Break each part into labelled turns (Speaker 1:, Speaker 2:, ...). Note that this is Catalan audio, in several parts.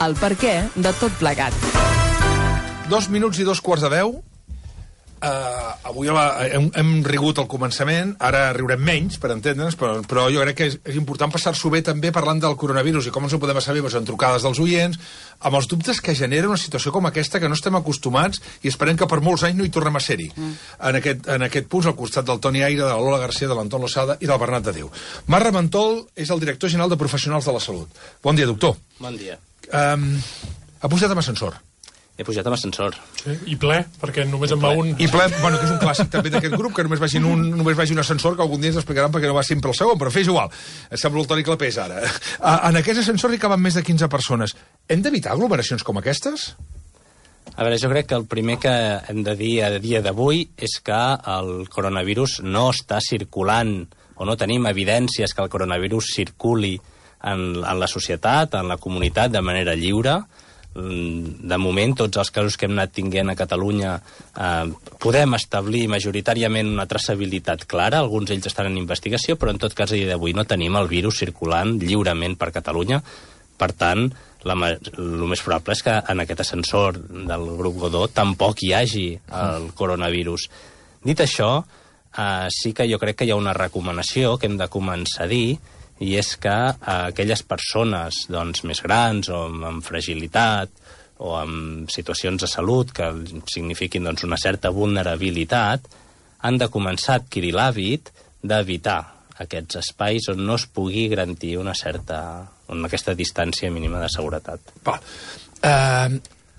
Speaker 1: El perquè de tot plegat.
Speaker 2: 2 minuts i 2:15. Avui hem rigut al començament, ara riurem menys, per entendre'ns, però jo crec que és important passar-s'ho bé també parlant del coronavirus i com ens ho podem saber en trucades dels oients, amb els dubtes que genera una situació com aquesta que no estem acostumats i esperem que per molts anys no hi tornem a ser-hi. En aquest punt, al costat del Toni Aire, de la Lola García, de l'Anton Losada i del Bernat de Déu. Marc Raventol és el director general de Professionals de la Salut. Bon dia, doctor.
Speaker 3: Bon dia.
Speaker 2: Ha pujat amb ascensor.
Speaker 3: He pujat amb ascensor.
Speaker 4: Sí, i ple, perquè només en va un.
Speaker 2: I ple, bueno, que és un clàssic també d'aquest grup, que només vagi un ascensor, que algun dia ens explicaran perquè no va sempre el segon, però fes igual. Sembla el Toni Clapés, ara. En aquest ascensor hi caben més de 15 persones. Hem d'evitar aglomeracions com aquestes?
Speaker 3: A veure, jo crec que el primer que hem de dir a dia d'avui és que el coronavirus no està circulant, o no tenim evidències que el coronavirus circuli en la societat, en la comunitat, de manera lliure. De moment, tots els casos que hem anat tinguent a Catalunya podem establir majoritàriament una traçabilitat clara, alguns d'ells estan en investigació, però en tot cas a dia d'avui no tenim el virus circulant lliurement per Catalunya. Per tant, el més probable és que en aquest ascensor del grup Godó tampoc hi hagi el coronavirus. Dit això, sí que jo crec que hi ha una recomanació que hem de començar a dir, i és que aquelles persones més grans o amb fragilitat o amb situacions de salut que signifiquin una certa vulnerabilitat han de començar a adquirir l'hàbit d'evitar aquests espais on no es pugui garantir aquesta distància mínima de seguretat.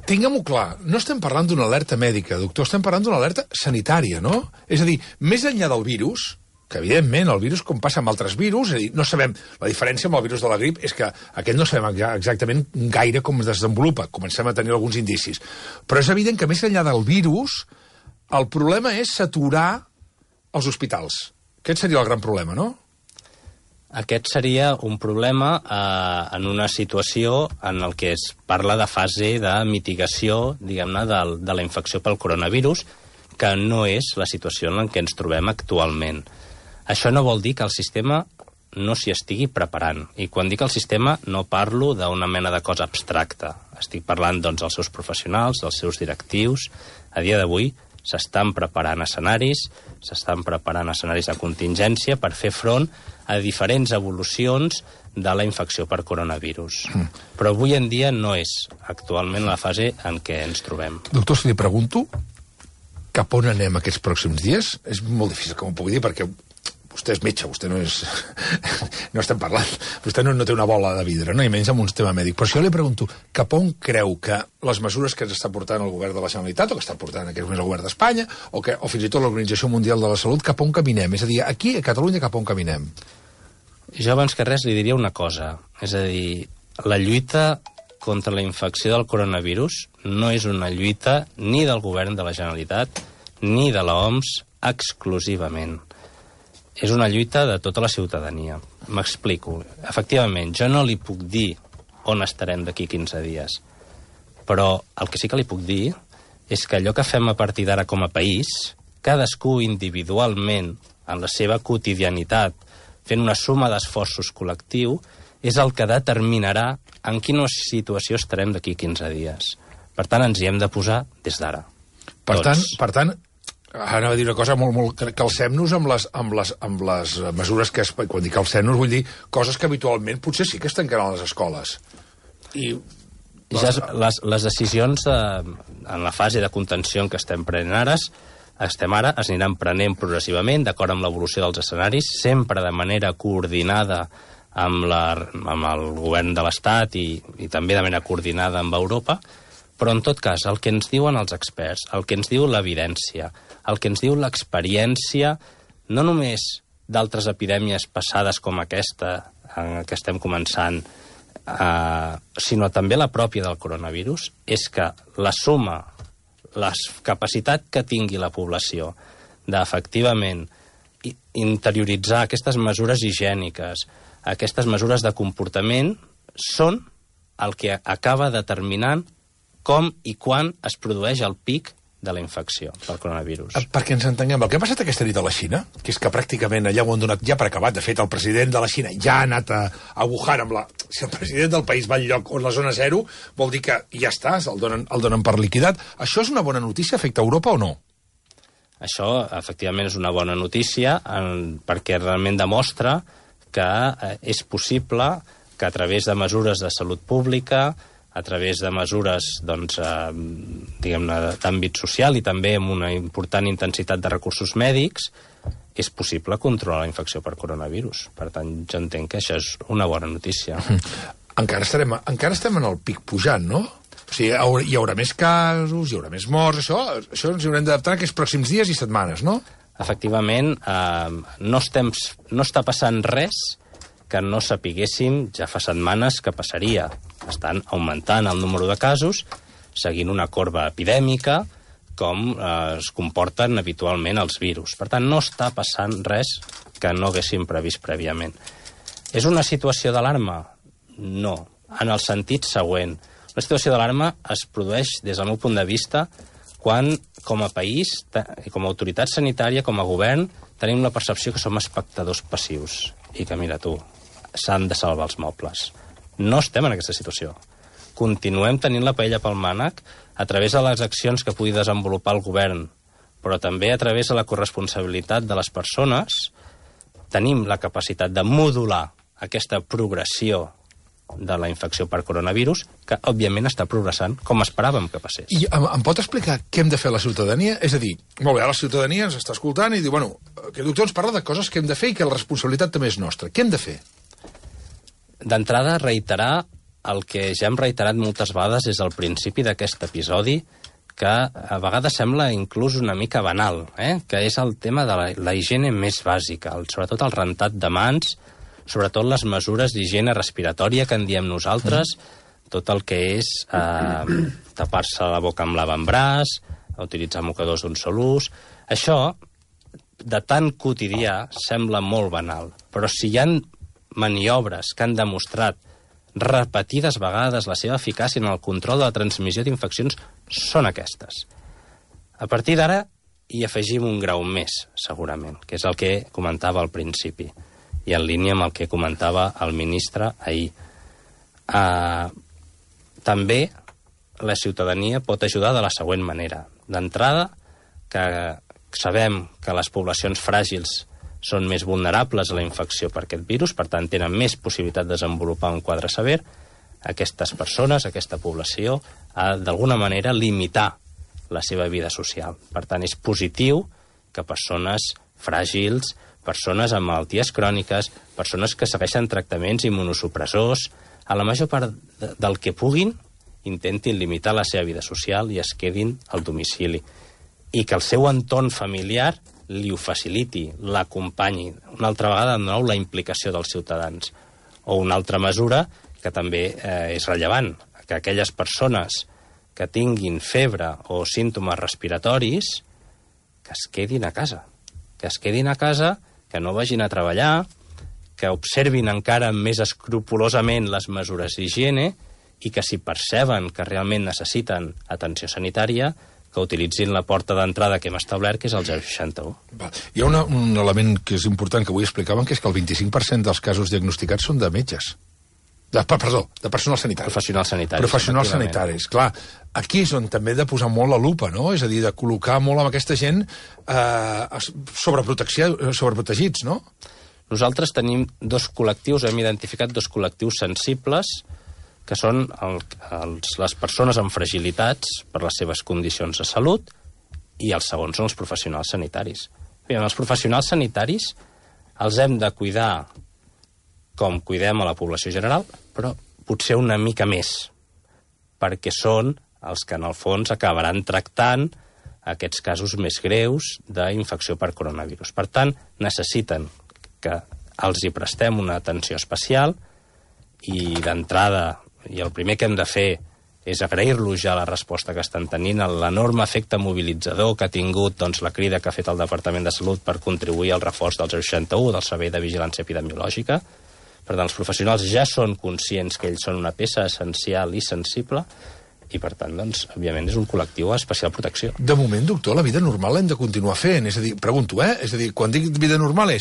Speaker 2: Tinguem-ho clar, no estem parlant d'una alerta mèdica, doctor, estem parlant d'una alerta sanitària, no? És a dir, més enllà del virus, que evidentment el virus, com passa amb altres virus, és a dir, no sabem, la diferència amb el virus de la grip és que aquest no sabem exactament gaire com es desenvolupa, comencem a tenir alguns indicis. Però és evident que més enllà del virus, el problema és saturar els hospitals. Aquest seria el gran problema, no?
Speaker 3: Aquest seria un problema en una situació en el que es parla de fase de mitigació, diguem-ne, de la infecció pel coronavirus, que no és la situació en què ens trobem actualment. Això no vol dir que el sistema no s'hi estigui preparant. I quan dic el sistema no parlo d'una mena de cosa abstracta. Estic parlant dels seus professionals, dels seus directius. A dia d'avui s'estan preparant escenaris de contingència per fer front a diferents evolucions de la infecció per coronavirus. Però avui en dia no és actualment la fase en què ens trobem.
Speaker 2: Doctor, si li pregunto cap on anem aquests pròxims dies, és molt difícil que m'ho pugui dir perquè vostè és metge, vostè no és... no estem parlant. Vostè no té una bola de vidre, no? I menys amb un tema mèdic. Però si jo li pregunto cap on creu que les mesures que ens està portant el govern de la Generalitat, o que està portant en aquest moment el govern d'Espanya, o fins i tot l'Organització Mundial de la Salut, cap on caminem? És a dir, aquí, a Catalunya, cap on caminem?
Speaker 3: Jo abans que res li diria una cosa. És a dir, la lluita contra la infecció del coronavirus no és una lluita ni del govern de la Generalitat ni de l'OMS exclusivament. És una lluita de tota la ciutadania. M'explico. Efectivament, jo no li puc dir on estarem d'aquí 15 dies, però el que sí que li puc dir és que allò que fem a partir d'ara com a país, cadascú individualment, en la seva quotidianitat, fent una suma d'esforços col·lectiu, és el que determinarà en quina situació estarem d'aquí 15 dies. Per tant, ens hi hem de posar des d'ara.
Speaker 2: Per tant, ara va dir una cosa molt... Calcem-nos amb les mesures que... Quan dic calcem-nos vull dir coses que habitualment potser sí que es tancaran a les escoles.
Speaker 3: Les decisions en la fase de contenció en què estem prenent ara, es aniran prenent progressivament, d'acord amb l'evolució dels escenaris, sempre de manera coordinada amb el govern de l'Estat i també de manera coordinada amb Europa, però en tot cas el que ens diuen els experts, el que ens diu l'evidència, el que ens diu l'experiència, no només d'altres epidèmies passades com aquesta que estem començant, sinó també la pròpia del coronavirus, és que la suma, la capacitat que tingui la població d'efectivament interioritzar aquestes mesures higièniques, aquestes mesures de comportament, són el que acaba determinant com i quan es produeix el pic de la infecció pel coronavirus.
Speaker 2: Perquè ens entenguem, el que ha passat aquesta nit a la Xina, que és que pràcticament allà ho han donat ja per acabat, de fet el president de la Xina ja ha anat a Wuhan amb la... Si el president del país va al lloc on la zona zero, vol dir que ja està, el donen per liquidat. Això és una bona notícia, afecta Europa o no?
Speaker 3: Això, efectivament, és una bona notícia perquè realment demostra que és possible que a través de mesures de salut pública, a través de mesures diguem-ne d'àmbit social i també amb una important intensitat de recursos mèdics, és possible controlar la infecció per coronavirus. Per tant, jo entenc que això és una bona notícia.
Speaker 2: Encara estem en el pic pujant, no? O sigui, hi haurà més casos, hi haurà més morts, això ens hi haurem d'adaptar aquests pròxims dies i setmanes, no?
Speaker 3: Efectivament, no està passant res que no sapiguéssim ja fa setmanes que passaria. Estan augmentant el número de casos, seguint una corba epidèmica, com es comporten habitualment els virus. Per tant, no està passant res que no haguéssim previst prèviament. És una situació d'alarma? No, en el sentit següent. La situació d'alarma es produeix, des del meu punt de vista, quan, com a país, com a autoritat sanitària, com a govern, tenim la percepció que som espectadors passius i que, mira tu, s'han de salvar els mobles. No estem en aquesta situació. Continuem tenint la paella pel mànec a través de les accions que pugui desenvolupar el govern, però també a través de la corresponsabilitat de les persones. Tenim la capacitat de modular aquesta progressió de la infecció per coronavirus, que, òbviament, està progressant com esperàvem que passés.
Speaker 2: I em pot explicar què hem de fer a la ciutadania? És a dir, molt bé, la ciutadania ens està escoltant i diu, bueno, que el doctor ens parla de coses que hem de fer i que la responsabilitat també és nostra. Què hem de fer?
Speaker 3: D'entrada, reiterar el que ja hem reiterat moltes vegades des del principi d'aquest episodi, que a vegades sembla inclús una mica banal, que és el tema de la higiene més bàsica, sobretot el rentat de mans, sobretot les mesures d'higiene respiratòria que en diem nosaltres, tot el que és tapar-se la boca amb l'avantbraç, utilitzar mocadors d'un sol ús. Això, de tan quotidià, sembla molt banal, però si hi ha maniobres que han demostrat repetides vegades la seva eficàcia en el control de la transmissió d'infeccions, són aquestes. A partir d'ara hi afegim un grau més, segurament, que és el que comentava al principi, i en línia amb el que comentava el ministre ahir. També la ciutadania pot ajudar de la següent manera. D'entrada, que sabem que les poblacions fràgils són més vulnerables a la infecció per aquest virus, per tant, tenen més possibilitat de desenvolupar un quadre sever. Aquestes persones, aquesta població, ha d'alguna manera limitar la seva vida social. Per tant, és positiu que persones fràgils, persones amb malalties cròniques, persones que segueixen tractaments immunosupressors, a la major part del que puguin, intentin limitar la seva vida social i es quedin al domicili. I que el seu entorn familiar li ho faciliti, l'acompanyi. Una altra vegada, de nou, la implicació dels ciutadans. O una altra mesura que també és rellevant, que aquelles persones que tinguin febre o símptomes respiratoris, que es quedin a casa. Que es quedin a casa, que no vagin a treballar, que observin encara més escrupolosament les mesures d'higiene i que si perceben que realment necessiten atenció sanitària, que utilitzin la porta d'entrada que hem establert, que és el 061.
Speaker 2: Hi ha un element que és important que avui explicaven, que és que el 25% dels casos diagnosticats són de metges. De personal sanitari. Professionals sanitaris. Clar, aquí és on també he de posar molt la lupa, no? És a dir, de col·locar molt amb aquesta gent sobreprotegits, no?
Speaker 3: Nosaltres tenim dos col·lectius, hem identificat dos col·lectius sensibles, que són les persones amb fragilitats per les seves condicions de salut, i el segon són els professionals sanitaris. Bé, els professionals sanitaris els hem de cuidar com cuidem a la població general, però potser una mica més, perquè són els que en el fons acabaran tractant aquests casos més greus d'infecció per coronavirus. Per tant, necessiten que els hi prestem una atenció especial i d'entrada, i el primer que hem de fer és agrair-los ja la resposta que estan tenint, l'enorme efecte mobilitzador que ha tingut la crida que ha fet el Departament de Salut per contribuir al reforç del 061, del Servei de Vigilància Epidemiològica. Per tant, els professionals ja són conscients que ells són una peça essencial i sensible i per tant, doncs, òbviament, és un col·lectiu d'especial protecció.
Speaker 2: De moment, doctor, la vida normal l'hem de continuar fent. És a dir, pregunto, És a dir, quan dic vida normal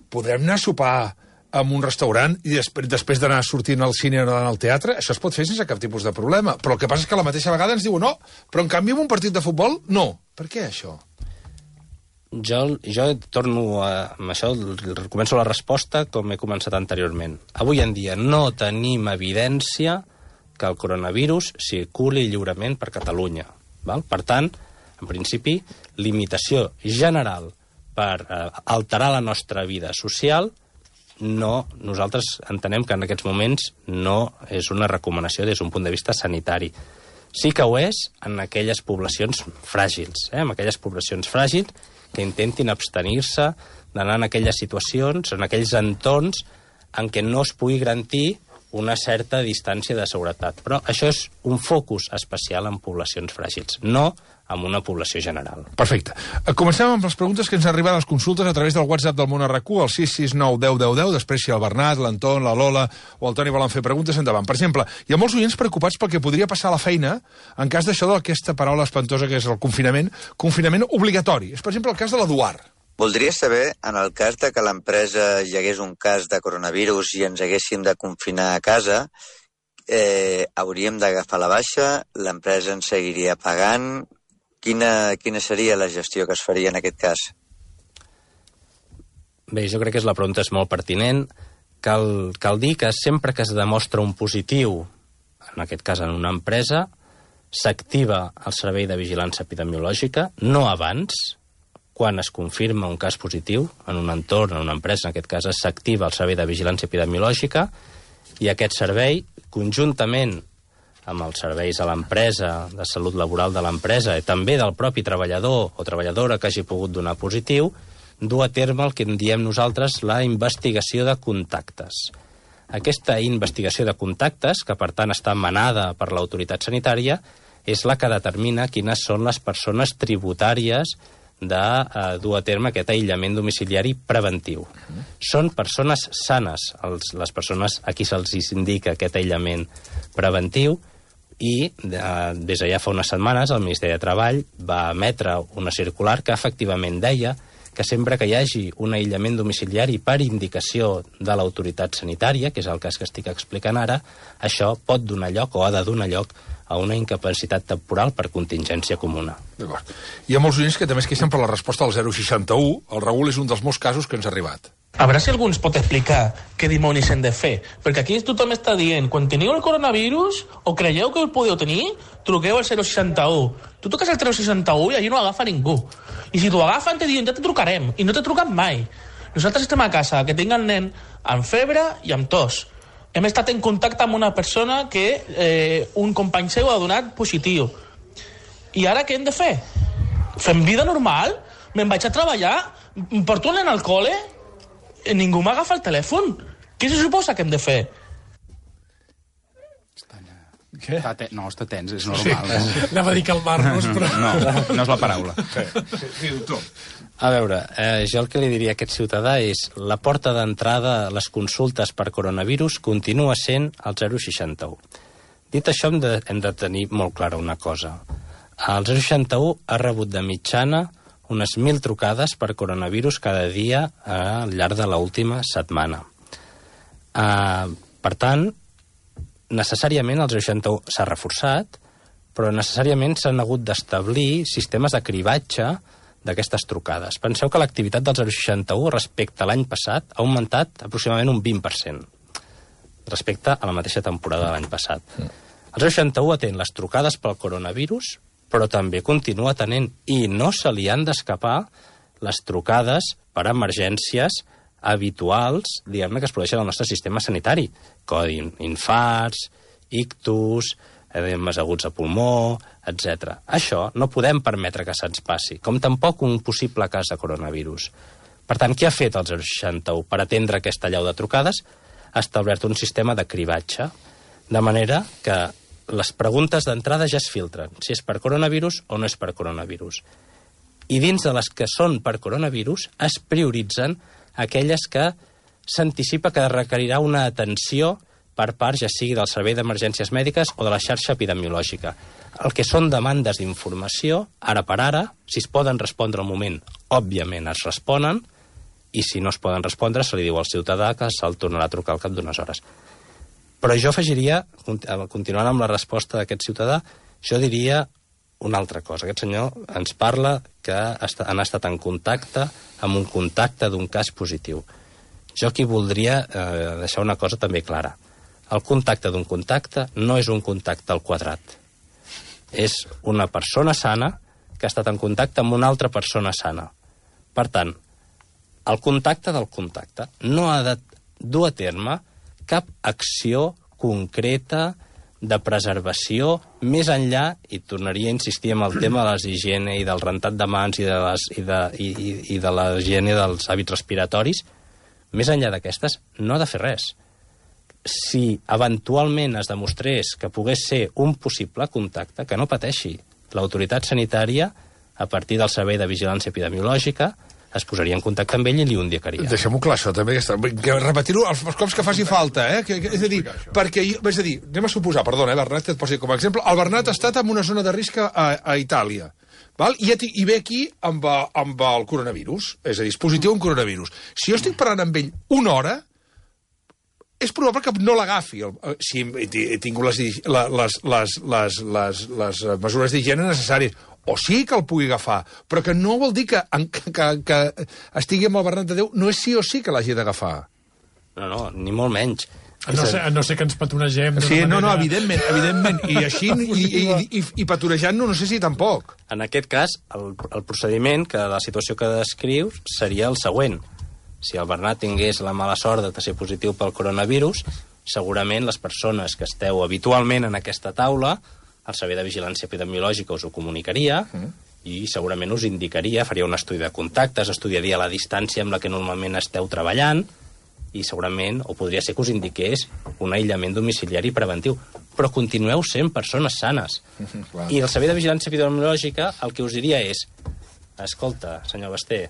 Speaker 2: podrem anar a sopar en un restaurant i després d'anar sortint al cine o anar al teatre? Això es pot fer sense cap tipus de problema. Però el que passa és que a la mateixa vegada ens diuen no, però en canvi en un partit de futbol, no. Per què això?
Speaker 3: Jo torno amb això, començo la resposta com he començat anteriorment. Avui en dia no tenim evidència que el coronavirus circuli lliurement per Catalunya. Val? Per tant, en principi, limitació general per alterar la nostra vida social, no, nosaltres entenem que en aquests moments no és una recomanació des d'un punt de vista sanitari. Sí que ho és en aquelles poblacions fràgils, en aquelles poblacions fràgils que intentin abstenir-se d'anar en aquelles situacions, en aquells entorns en què no es pugui garantir una certa distància de seguretat. Però això és un focus especial en poblacions fràgils, no amb una població general.
Speaker 2: Perfecte. Comencem amb les preguntes que ens arriben a les consultes a través del WhatsApp del Món RQ, el 669 10 10 10. Després, si el Bernat, l'Anton, la Lola o el Toni volen fer preguntes, endavant. Per exemple, hi ha molts oients preocupats pel que podria passar a la feina en cas d'això d'aquesta paraula espantosa que és el confinament obligatori. És, per exemple, el cas de l'Eduard.
Speaker 5: Voldria saber, en el cas de que a l'empresa hi hagués un cas de coronavirus i ens haguéssim de confinar a casa, hauríem d'agafar la baixa, l'empresa ens seguiria pagant. Quina seria la gestió que es faria en aquest cas?
Speaker 3: Bé, jo crec que la pregunta és molt pertinent. Cal dir que sempre que es demostra un positiu, en aquest cas en una empresa, s'activa el servei de vigilància epidemiològica, no abans. Quan es confirma un cas positiu en un entorn, en una empresa, en aquest cas s'activa el servei de vigilància epidemiològica i aquest servei, conjuntament amb els serveis a l'empresa, de salut laboral de l'empresa i també del propi treballador o treballadora que hagi pogut donar positiu, dur a terme el que en diem nosaltres la investigació de contactes. Aquesta investigació de contactes, que per tant està manada per l'autoritat sanitària, és la que determina quines són les persones tributàries de dur a terme aquest aïllament domiciliari preventiu. Són persones sanes, les persones a qui se'ls indica aquest aïllament preventiu, i des de ja fa unes setmanes el Ministeri de Treball va emetre una circular que efectivament deia que sempre que hi hagi un aïllament domiciliari per indicació de l'autoritat sanitària, que és el cas que estic explicant ara, això pot donar lloc o ha de donar lloc a una incapacitat temporal per contingència comuna.
Speaker 2: D'acord. Hi ha molts oients que també es queixen per la resposta al 061. El Raül és un dels molts casos que ens ha arribat.
Speaker 6: A veure si algú ens pot explicar què dimonis hem de fer. Perquè aquí tothom està dient, quan teniu el coronavirus o creieu que el podeu tenir, truqueu al 061. Tu toques el 061 i allí no agafa ningú. I si t'ho agafen te diuen, ja te trucarem. I no te truquen mai. Nosaltres estem a casa, que tinc el nen amb febre i amb tos. Hem estat en contacte amb una persona que un company seu ha donat positiu. I ara què hem de fer? Fem vida normal? Me'n vaig a treballar? Porto el nen al col·le? Ningú m'agafa el telèfon? Què se suposa que hem de fer?
Speaker 2: Què?
Speaker 7: No, està tens, és normal. Sí.
Speaker 4: Anava a dir calmar-nos, però...
Speaker 7: No és la paraula.
Speaker 2: Sí, doctor.
Speaker 3: A veure, jo el que li diria a aquest ciutadà és la porta d'entrada a les consultes per coronavirus continua sent el 061. Dit això, hem de tenir molt clara una cosa. El 061 ha rebut de mitjana unes 1.000 trucades per coronavirus cada dia al llarg de l'última setmana. Per tant, necessàriament el 061 s'ha reforçat, però necessàriament s'han hagut d'establir sistemes de cribatge d'aquestes trucades. Penseu que l'activitat del 061 respecte a l'any passat ha augmentat aproximadament un 20% respecte a la mateixa temporada de l'any passat. El 061 atén les trucades pel coronavirus, però també continua atenent, i no se li han d'escapar, les trucades per emergències habituals, diguem-ne, que es produeixen al nostre sistema sanitari. Codi infarts, ictus, edemes aguts de pulmó, etc. Això no podem permetre que se'ns passi, com tampoc un possible cas de coronavirus. Per tant, què ha fet el 061 per atendre aquesta allau de trucades? Ha establert un sistema de cribatge, de manera que les preguntes d'entrada ja es filtren, si és per coronavirus o no és per coronavirus. I dins de les que són per coronavirus es prioritzen aquelles que s'anticipa que requerirà una atenció per part ja sigui del Servei d'Emergències Mèdiques o de la xarxa epidemiològica. El que són demandes d'informació, ara per ara, si es poden respondre al moment, òbviament es responen, i si no es poden respondre, se li diu al ciutadà que se'l tornarà a trucar al cap d'unes hores. Però jo afegiria, continuant amb la resposta d'aquest ciutadà, jo diria una altra cosa. Aquest senyor ens parla que han estat en contacte amb un contacte d'un cas positiu. Jo aquí voldria deixar una cosa també clara. El contacte d'un contacte no és un contacte al quadrat. És una persona sana que ha estat en contacte amb una altra persona sana. Per tant, el contacte del contacte no ha de dur a terme cap acció concreta de preservació més enllà, i tornaria a insistir en el tema de les higiene i del rentat de mans i de la higiene dels hàbits respiratoris, més enllà d'aquestes no ha de fer res. Si eventualment es demostrés que pogués ser un possible contacte, que no pateixi. L'autoritat sanitària, a partir del Servei de Vigilància Epidemiològica, es posaria en contacte amb ell i li ho indicaria.
Speaker 2: Deixem-ho clar, això també. Repetir-ho els cops que faci falta, és a dir, perquè, és a dir, anem a suposar, perdona, Bernat, et poso com a exemple, el Bernat ha estat en una zona de risc a Itàlia, val? I ve aquí amb el coronavirus, és a dir, és positiu un coronavirus. Si jo estic parlant amb ell una hora, és probable que no l'agafi, si he tingut les mesures d'higiene necessàries, o sí que el pugui agafar, però que no vol dir que estigui amb el Bernat de Déu, no és sí o sí que l'hagi d'agafar.
Speaker 3: No, ni molt menys.
Speaker 4: A no ser que ens petonegem.
Speaker 2: Sí, no, evidentment. I així, i petonejant-nos, no sé si tampoc.
Speaker 3: En aquest cas, el procediment, que la situació que descrius, seria el següent. Si el Bernat tingués la mala sort de ser positiu pel coronavirus, segurament les persones que esteu habitualment en aquesta taula, el Servei de Vigilància Epidemiològica us ho comunicaria i segurament us indicaria, faria un estudi de contactes, estudiaria la distància amb la que normalment esteu treballant i segurament, o podria ser que us indiqués un aïllament domiciliari preventiu. Però continueu sent persones sanes. I el Servei de Vigilància Epidemiològica el que us diria és: escolta, senyor Basté,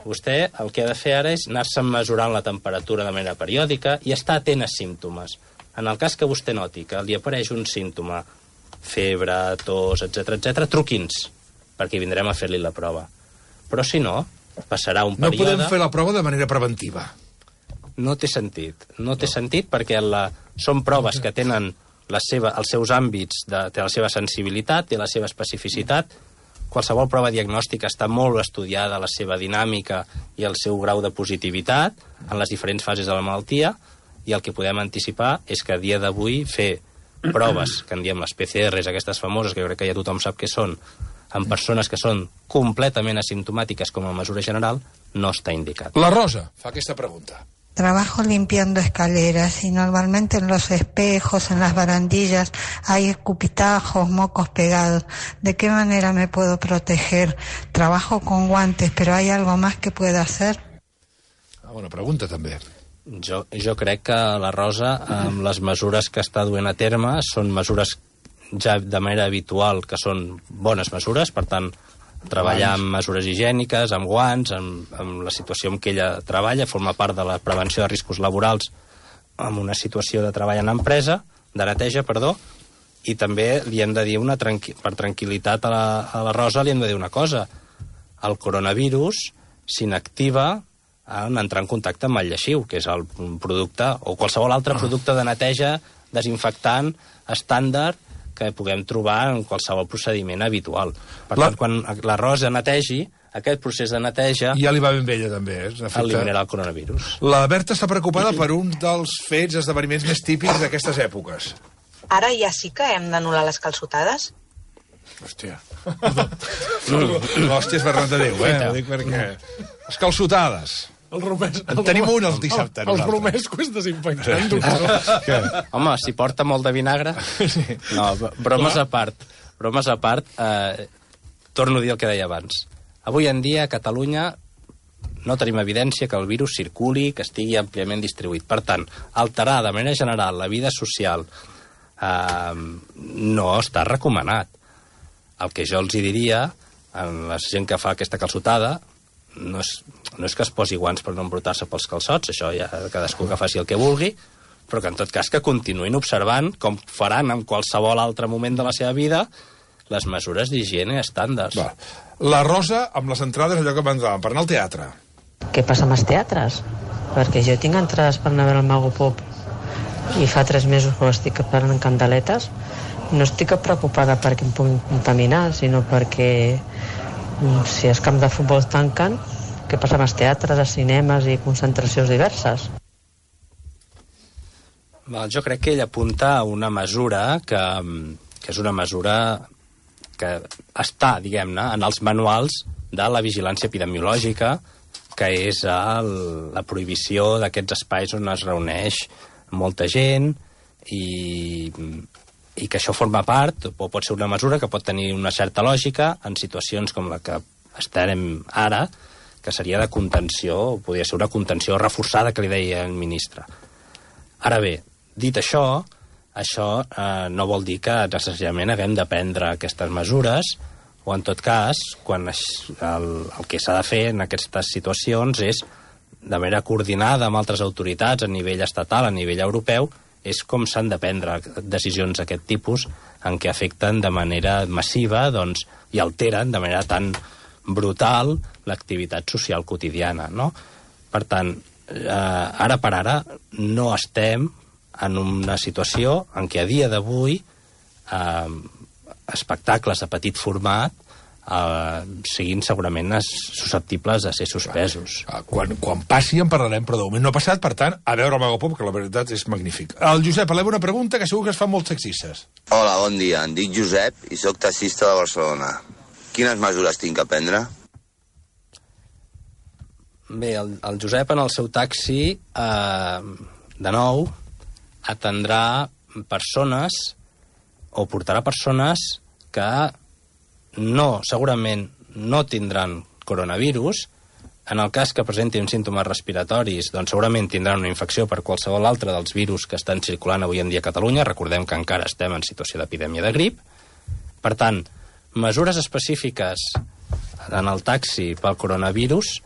Speaker 3: vostè el que ha de fer ara és anar-se mesurant la temperatura de manera periòdica i estar atent a símptomes. En el cas que vostè noti que li apareix un símptoma, febre, tos, etc, truqui'ns, perquè vindrem a fer-li la prova. Però si no, passarà un període...
Speaker 2: No podem fer la prova de manera preventiva.
Speaker 3: No té sentit. No té sentit perquè són proves que tenen els seus àmbits, té la seva sensibilitat, té la seva especificitat. Qualsevol prova diagnòstica està molt estudiada, la seva dinàmica i el seu grau de positivitat en les diferents fases de la malaltia, i el que podem anticipar és que a dia d'avui fer proves, que en diem les PCRs, aquestes famoses, que jo crec que ja tothom sap què són, en persones que són completament asimptomàtiques com a mesura general, no està indicat.
Speaker 2: La Rosa fa aquesta pregunta.
Speaker 8: Trabajo limpiando escaleras y normalmente en los espejos, en las barandillas, hay escupitajos, mocos pegados. ¿De qué manera me puedo proteger? Trabajo con guantes, pero ¿hay algo más que pueda hacer?
Speaker 2: Bona pregunta, també.
Speaker 3: Jo crec que la Rosa, amb les mesures que està duent a terme, són mesures ja de manera habitual, que són bones mesures, per tant, treballar amb mesures higièniques, amb guants, amb la situació en què ella treballa, forma part de la prevenció de riscos laborals amb una situació de treball en empresa, de neteja, i també li hem de dir, per tranquil·litat a la Rosa, li hem de dir una cosa. El coronavirus s'inactiva en entrar en contacte amb el lleixiu, que és el producte, o qualsevol altre producte de neteja, desinfectant, estàndard, que puguem trobar en qualsevol procediment habitual. Per tant, quan la Rosa netegi, aquest procés de neteja...
Speaker 2: Ja li va ben vella, també.
Speaker 3: Eliminarà el coronavirus.
Speaker 2: La Berta està preocupada per un dels fets, esdeveniments més típics d'aquestes èpoques.
Speaker 9: Ara ja sí que hem d'anul·lar les calçotades?
Speaker 2: Hòstia. L'hòstia és Bernat de Déu, Ho dic perquè... Les calçotades. En tenim un el dissabte.
Speaker 4: Els romescos desinfectant, doctor.
Speaker 3: Home, si porta molt de vinagre... No, bromes a part. Torno a dir el que deia abans. Avui en dia a Catalunya no tenim evidència que el virus circuli, que estigui àmpliament distribuït. Per tant, alterar de manera general la vida social no està recomanat. El que jo els diria a la gent que fa aquesta calçotada no és que es posi guants per no embrutar-se pels calçots, això ja cadascú que faci el que vulgui, però que en tot cas que continuïn observant, com faran en qualsevol altre moment de la seva vida, les mesures d'higiene estàndards.
Speaker 2: Va. La Rosa, amb les entrades, allò que m'entraven, per anar al teatre.
Speaker 10: Què passa amb els teatres? Perquè jo tinc entrades per anar a veure el Mago Pop i fa 3 mesos que estic esperant candeletes. No estic preocupada perquè em puguin contaminar, sinó perquè si els camps de futbol tanquen, què passa amb els teatres, els cinemes i concentracions diverses?
Speaker 3: Jo crec que ell apunta a una mesura que és una mesura que està, diguem-ne, en els manuals de la vigilància epidemiològica, que és la prohibició d'aquests espais on es reuneix molta gent i que això forma part, o pot ser una mesura que pot tenir una certa lògica en situacions com la que estarem ara, que seria de contenció, podria ser una contenció reforçada, que li deia el ministre. Ara bé, dit això no vol dir que necessàriament haguem de prendre aquestes mesures, o en tot cas, quan el que s'ha de fer en aquestes situacions és, de manera coordinada amb altres autoritats a nivell estatal, a nivell europeu, és com s'han de prendre decisions d'aquest tipus en què afecten de manera massiva i alteren de manera tan brutal l'activitat social quotidiana, no? Per tant, ara per ara no estem en una situació en què a dia d'avui espectacles de petit format siguin segurament susceptibles de ser suspesos.
Speaker 2: Quan passi en parlarem, però de moment no ha passat, per tant, a veure el Mago Pop, que la veritat és magnífic. El Josep, eleva una pregunta que segur que es fan molts taxistes.
Speaker 11: Hola, bon dia. Em dic Josep i sóc taxista de Barcelona. Quines mesures tinc que prendre?
Speaker 3: Bé, el Josep en el seu taxi, de nou, atendrà persones o portarà persones que segurament no tindran coronavirus. En el cas que presentin símptomes respiratoris, doncs segurament tindran una infecció per qualsevol altre dels virus que estan circulant avui en dia a Catalunya. Recordem que encara estem en situació d'epidèmia de grip. Per tant, mesures específiques en el taxi pel coronavirus,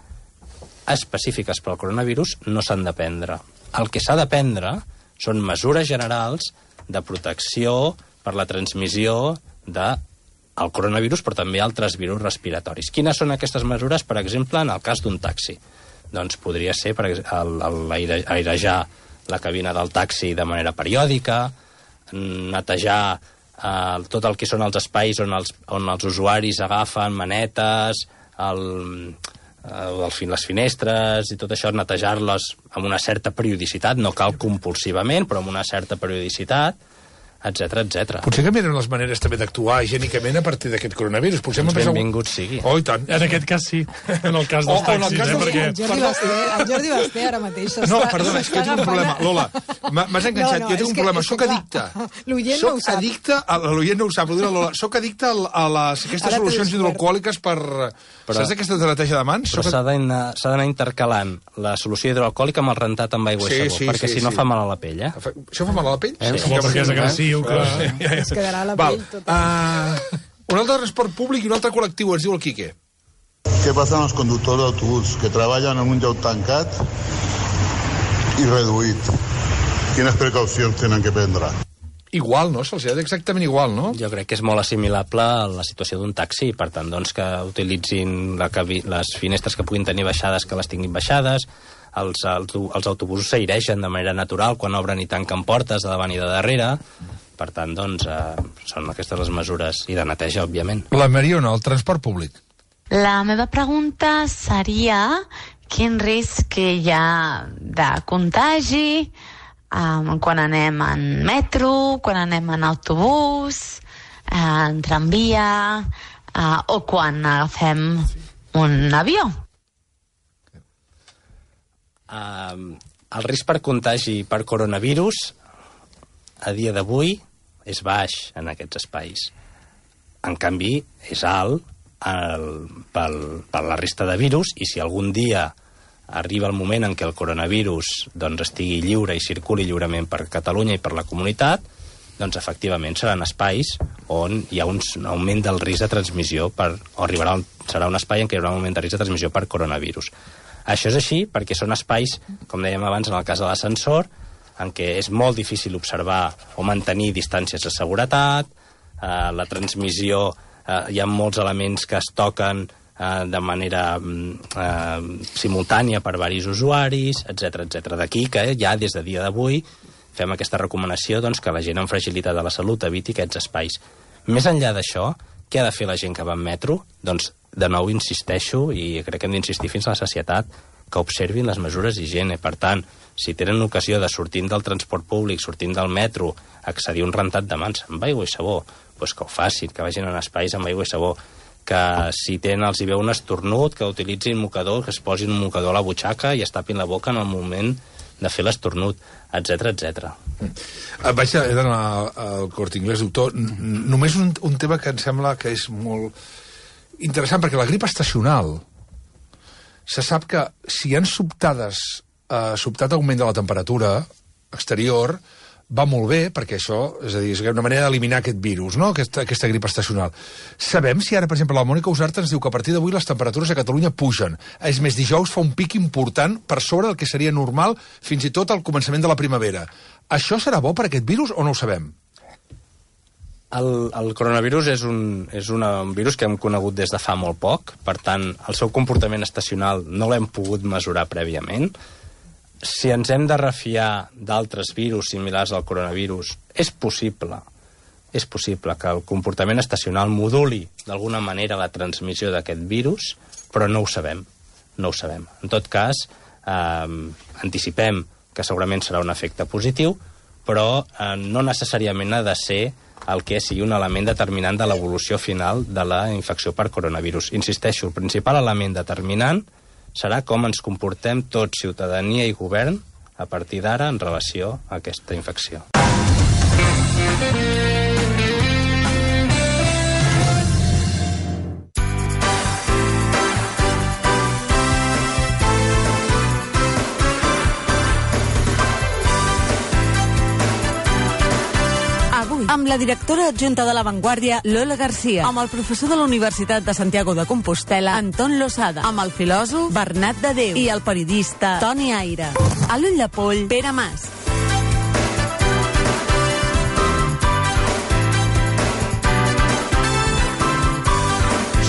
Speaker 3: no s'han de prendre. El que s'ha de prendre són mesures generals de protecció per la transmissió del coronavirus, però també altres virus respiratoris. Quines són aquestes mesures, per exemple, en el cas d'un taxi? Doncs podria ser airejar la cabina del taxi de manera periòdica, netejar tot el que són els espais on els usuaris agafen manetes, les finestres i tot això, netejar-les amb una certa periodicitat, no cal compulsivament, però amb una certa periodicitat, etcètera, etcètera.
Speaker 2: Potser canviarem les maneres també d'actuar higiènicament a partir d'aquest coronavirus.
Speaker 3: Benvingut sigui.
Speaker 2: Oh, i tant.
Speaker 4: En aquest cas sí, en el cas dels taxis, perquè...
Speaker 1: El Jordi Basté ara mateix
Speaker 2: No, perdona, és que jo tinc un problema. Lola, m'has enganxat, jo tinc un problema. Soc addicte.
Speaker 1: L'oient no ho sap.
Speaker 2: L'oient no ho sap, Lola. Soc addicte a aquestes solucions hidroalcohòliques per... Saps aquesta de neteja de mans?
Speaker 3: Però s'ha d'anar intercalant la solució hidroalcohòlica amb el rentat amb aigua i sabó, perquè si no fa mal a la pell, eh?
Speaker 2: Això fa mal a la pell?
Speaker 4: Sí, perquè és agressiu.
Speaker 1: Es quedarà la pell tota.
Speaker 2: Un altre transport públic i un altre col·lectiu, ens diu el Quique.
Speaker 12: Què passa amb els conductors d'autobús que treballen en un lloc tancat i reduït? Quines precaucions tenen que prendre?
Speaker 2: Igual, no? Se'ls ha exactament igual, no?
Speaker 3: Jo crec que és molt assimilable a la situació d'un taxi, per tant, doncs, que utilitzin les finestres que puguin tenir baixades, que les tinguin baixades. Els autobusos s'aireixen de manera natural quan obren i tanquen portes de davant i de darrere. Per tant, doncs, són aquestes les mesures. I de neteja, òbviament.
Speaker 2: La Mariona, el transport públic.
Speaker 13: La meva pregunta seria quin risc hi ha de contagi quan anem en metro, quan anem en autobús, en tramvia o quan agafem un avió.
Speaker 3: El risc per contagi per coronavirus a dia d'avui és baix en aquests espais. En canvi, és alt per la resta de virus, i si algun dia arriba el moment en què el coronavirus doncs, estigui lliure i circuli lliurement per Catalunya i per la comunitat, doncs efectivament seran espais on hi ha un augment del risc de transmissió serà un espai en què hi haurà un augment de risc de transmissió per coronavirus. Això és així perquè són espais, com dèiem abans en el cas de l'ascensor, en què és molt difícil observar o mantenir distàncies de seguretat, la transmissió, hi ha molts elements que es toquen de manera simultània per varis usuaris, etc. D'aquí que ja des de dia d'avui fem aquesta recomanació doncs, que la gent amb fragilitat de la salut eviti aquests espais. Més enllà d'això, què ha de fer la gent que va en metro? Doncs, de nou, insisteixo, i crec que hem d'insistir fins a la sacietat, que observin les mesures d'higiene. Per tant, si tenen ocasió de sortint del transport públic, sortint del metro, accedir a un rentat de mans amb aigua i sabó, doncs que ho facin, que vagin en espais amb aigua i sabó, que si els hi veu un estornut, que utilitzin mocador, que es posin un mocador a la butxaca i es tapin la boca en el moment de fer l'estornut, etc.
Speaker 2: Vaig anar al Corte Inglés, doctor. Només un tema que em sembla que és molt interessant, perquè la grip estacional se sap que si hi ha sobtat augment de la temperatura exterior, va molt bé, perquè això, és a dir, és una manera d'eliminar aquest virus, no?, aquesta grip estacional. Sabem si ara, per exemple, la Mònica Usart ens diu que a partir d'avui les temperatures a Catalunya pugen. És més, dijous fa un pic important per sobre del que seria normal fins i tot al començament de la primavera. Això serà bo per aquest virus o no ho sabem?
Speaker 3: El coronavirus és un virus que hem conegut des de fa molt poc, per tant, el seu comportament estacional no l'hem pogut mesurar prèviament. Si ens hem de refiar d'altres virus similars al coronavirus, és possible que el comportament estacional moduli d'alguna manera la transmissió d'aquest virus, però no ho sabem. En tot cas, anticipem que segurament serà un efecte positiu, però no necessàriament ha de ser el que sigui un element determinant de l'evolució final de la infecció per coronavirus. Insisteixo, el principal element determinant serà com ens comportem tots, ciutadania i govern, a partir d'ara en relació a aquesta infecció.
Speaker 14: Amb la directora adjunta de La Vanguardia, Lola García. Amb el professor de la Universitat de Santiago de Compostela, Anton Losada. Amb el filòsof, Bernat de Déu. I el periodista, Toni Aire. A l'ull de poll, Pere Mas.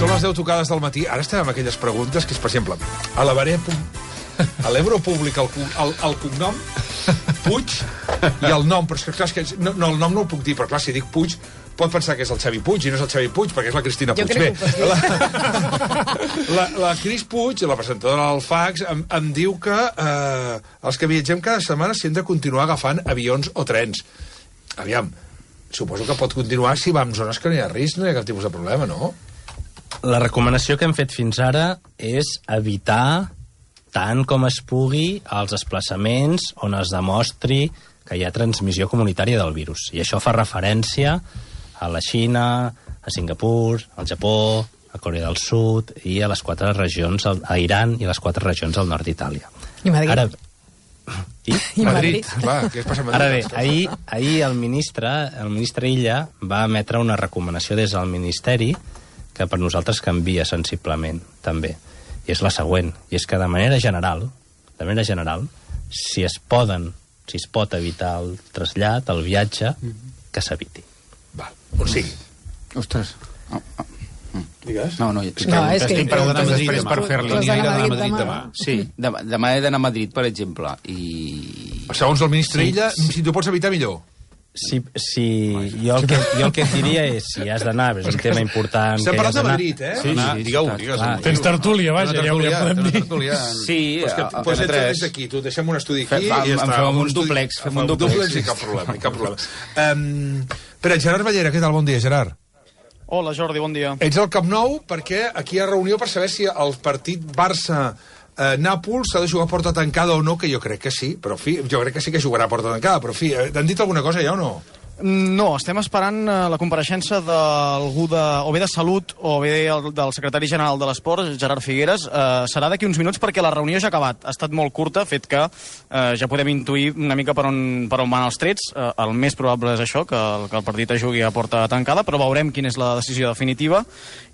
Speaker 2: Són les 10 tocades del matí. Ara estem amb aquelles preguntes que és, per exemple, a l'Ebro Públic el cognom, Puig, i el nom, però és que el nom no el puc dir, però clar, si dic Puig, pot pensar que és el Xavi Puig, i no és el Xavi Puig, perquè és la Cristina Puig. Bé, la Cris Puig, la presentadora del Fax, em diu que els que viatgem cada setmana s'hi hem de continuar agafant avions o trens. Aviam, suposo que pot continuar si va en zones que no hi ha risc, no hi ha cap tipus de problema, no?
Speaker 3: La recomanació que hem fet fins ara és evitar tant com es pugui els desplaçaments on es demostri que hi ha transmissió comunitària del virus. I això fa referència a la Xina, a Singapur, al Japó, a Corea del Sud i a les 4 regions, a Iran i les 4 regions al nord d'Itàlia.
Speaker 1: I Madrid.
Speaker 3: Ara,
Speaker 1: I Madrid.
Speaker 2: Va, què es passa a Madrid?
Speaker 3: Ara bé, ahir el ministre Illa va emetre una recomanació des del Ministeri que per nosaltres canvia sensiblement, també. I és la següent, i és que de manera general, si es pot evitar el trasllat, el viatge, que s'eviti.
Speaker 2: Va, on sigui.
Speaker 7: Ostres.
Speaker 2: Digues?
Speaker 7: No, estic preguntant després per fer-li.
Speaker 1: Anirà a Madrid demà.
Speaker 7: Sí, demà he d'anar a Madrid, per exemple, i...
Speaker 2: Segons el ministre Illa, si t'ho pots evitar, millor.
Speaker 3: Jo el que et diria és, si has d'anar, és un tema important...
Speaker 2: Estem parlant de Madrid, eh?
Speaker 7: Sí,
Speaker 2: digueu.
Speaker 4: Tens tertúlia, vaja, ja ho podem dir.
Speaker 7: Sí,
Speaker 2: pues entres aquí, tu deixem un estudi aquí i ja està.
Speaker 7: Fem un dúplex.
Speaker 2: Fem un dúplex i cap problema. Però Gerard Ballera, què tal? Bon dia, Gerard.
Speaker 15: Hola, Jordi, bon dia.
Speaker 2: Ets al Camp Nou perquè aquí hi ha reunió per saber si el partit Barça-Nàpols s'ha de jugar a porta tancada o no, que jo crec que sí, però jo crec que sí que jugarà a porta tancada, però han dit alguna cosa ja o no?
Speaker 15: No, estem esperant la compareixença d'algú o bé de Salut o bé del secretari general de l'Esport, Gerard Figueres. Serà d'aquí uns minuts perquè la reunió ja ha acabat. Ha estat molt curta, fet que ja podem intuir una mica per on van els trets. El més probable és això, que el partit es jugui a porta tancada, però veurem quina és la decisió definitiva.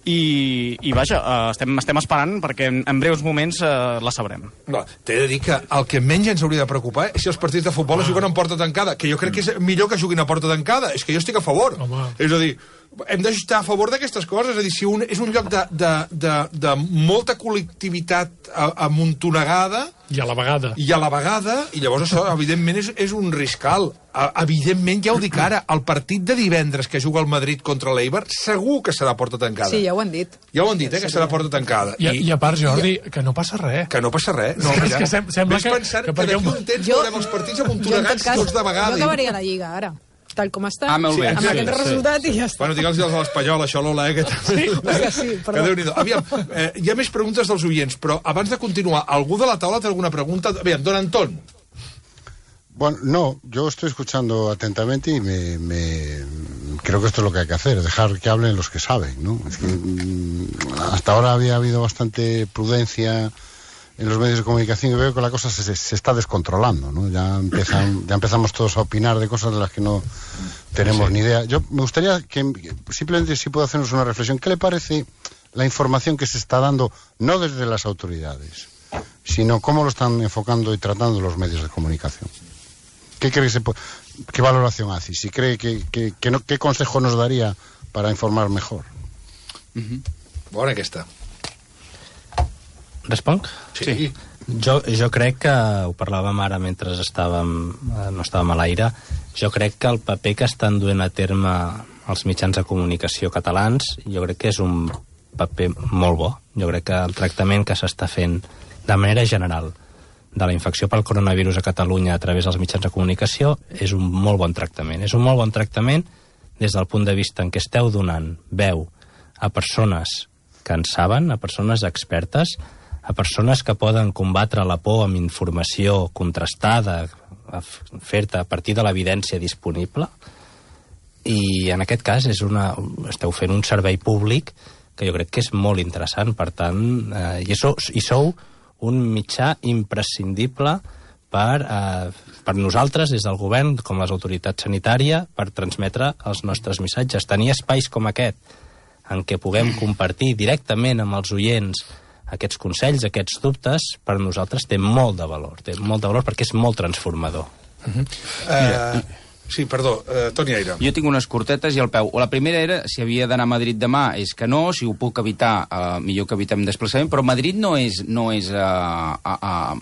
Speaker 15: I vaja, estem esperant perquè en breus moments la sabrem.
Speaker 2: No, t'he de dir que el que menys ens hauria de preocupar és si els partits de futbol es juguen en porta tancada, que jo crec que és millor que juguin a porta tancada. És que jo estic a favor. És a dir, hem d'estar a favor d'aquestes coses. És a dir, si és un lloc de molta col·lectivitat amuntonegada...
Speaker 4: I a la vegada.
Speaker 2: I llavors això, evidentment, és un riscal. Evidentment, ja ho dic ara, el partit de divendres que juga el Madrid contra l'Eibar segur que serà porta tancada.
Speaker 16: Sí, ja ho han dit.
Speaker 2: Ja ho han dit, que serà porta tancada.
Speaker 4: I a part, Jordi, que no passa res.
Speaker 2: Que no passa res. No,
Speaker 4: és que sembla que
Speaker 2: d'aquí un temps veurem els partits amuntonegats tots de vegada.
Speaker 16: Jo acabaria la Lliga, ara. Tal com està,
Speaker 7: molt bé.
Speaker 16: amb aquest resultat i ja està.
Speaker 2: Bueno, digue'ls als de l'Espanyol, això, Lola, que també...
Speaker 16: Sí,
Speaker 2: que Déu-n'hi-do. Aviam, hi ha més preguntes dels oients, però abans de continuar, algú de la taula té alguna pregunta? Aviam, don Antón.
Speaker 17: Bueno, no, yo estoy escuchando atentamente y creo que esto es lo que hay que hacer, dejar que hablen los que saben, ¿no? Es que hasta ahora había habido bastante prudencia en los medios de comunicación y veo que la cosa se está descontrolando, ¿no? Ya empezamos todos a opinar de cosas de las que no tenemos ni idea. Yo me gustaría que simplemente si puedo hacernos una reflexión. ¿Qué le parece la información que se está dando, no desde las autoridades, sino cómo lo están enfocando y tratando los medios de comunicación? ¿Qué cree qué valoración hace? Si cree ¿qué consejo nos daría para informar mejor?
Speaker 2: Bona aquesta.
Speaker 3: Responc?
Speaker 2: Sí.
Speaker 3: Jo crec que, ho parlàvem ara mentre no estàvem a l'aire, jo crec que el paper que estan duent a terme els mitjans de comunicació catalans, jo crec que és un paper molt bo. Jo crec que el tractament que s'està fent de manera general de la infecció pel coronavirus a Catalunya a través dels mitjans de comunicació és un molt bon tractament. És un molt bon tractament des del punt de vista en què esteu donant veu a persones que en saben, a persones expertes, a persones que poden combatre la por amb informació contrastada, fer-te a partir de l'evidència disponible, i en aquest cas esteu fent un servei públic que jo crec que és molt interessant. Per tant, i sou un mitjà imprescindible per nosaltres, des del govern, com les autoritats sanitàries, per transmetre els nostres missatges. Tenir espais com aquest, en què puguem compartir directament amb els oients aquests consells, aquests dubtes, per nosaltres té molt de valor. Té molt de valor perquè és molt transformador.
Speaker 2: Sí, perdó, Toni Aire.
Speaker 7: Jo tinc unes cortetes i al peu. La primera era si havia d'anar a Madrid demà, és que no, si ho puc evitar, millor que evitem desplaçament, però Madrid no és a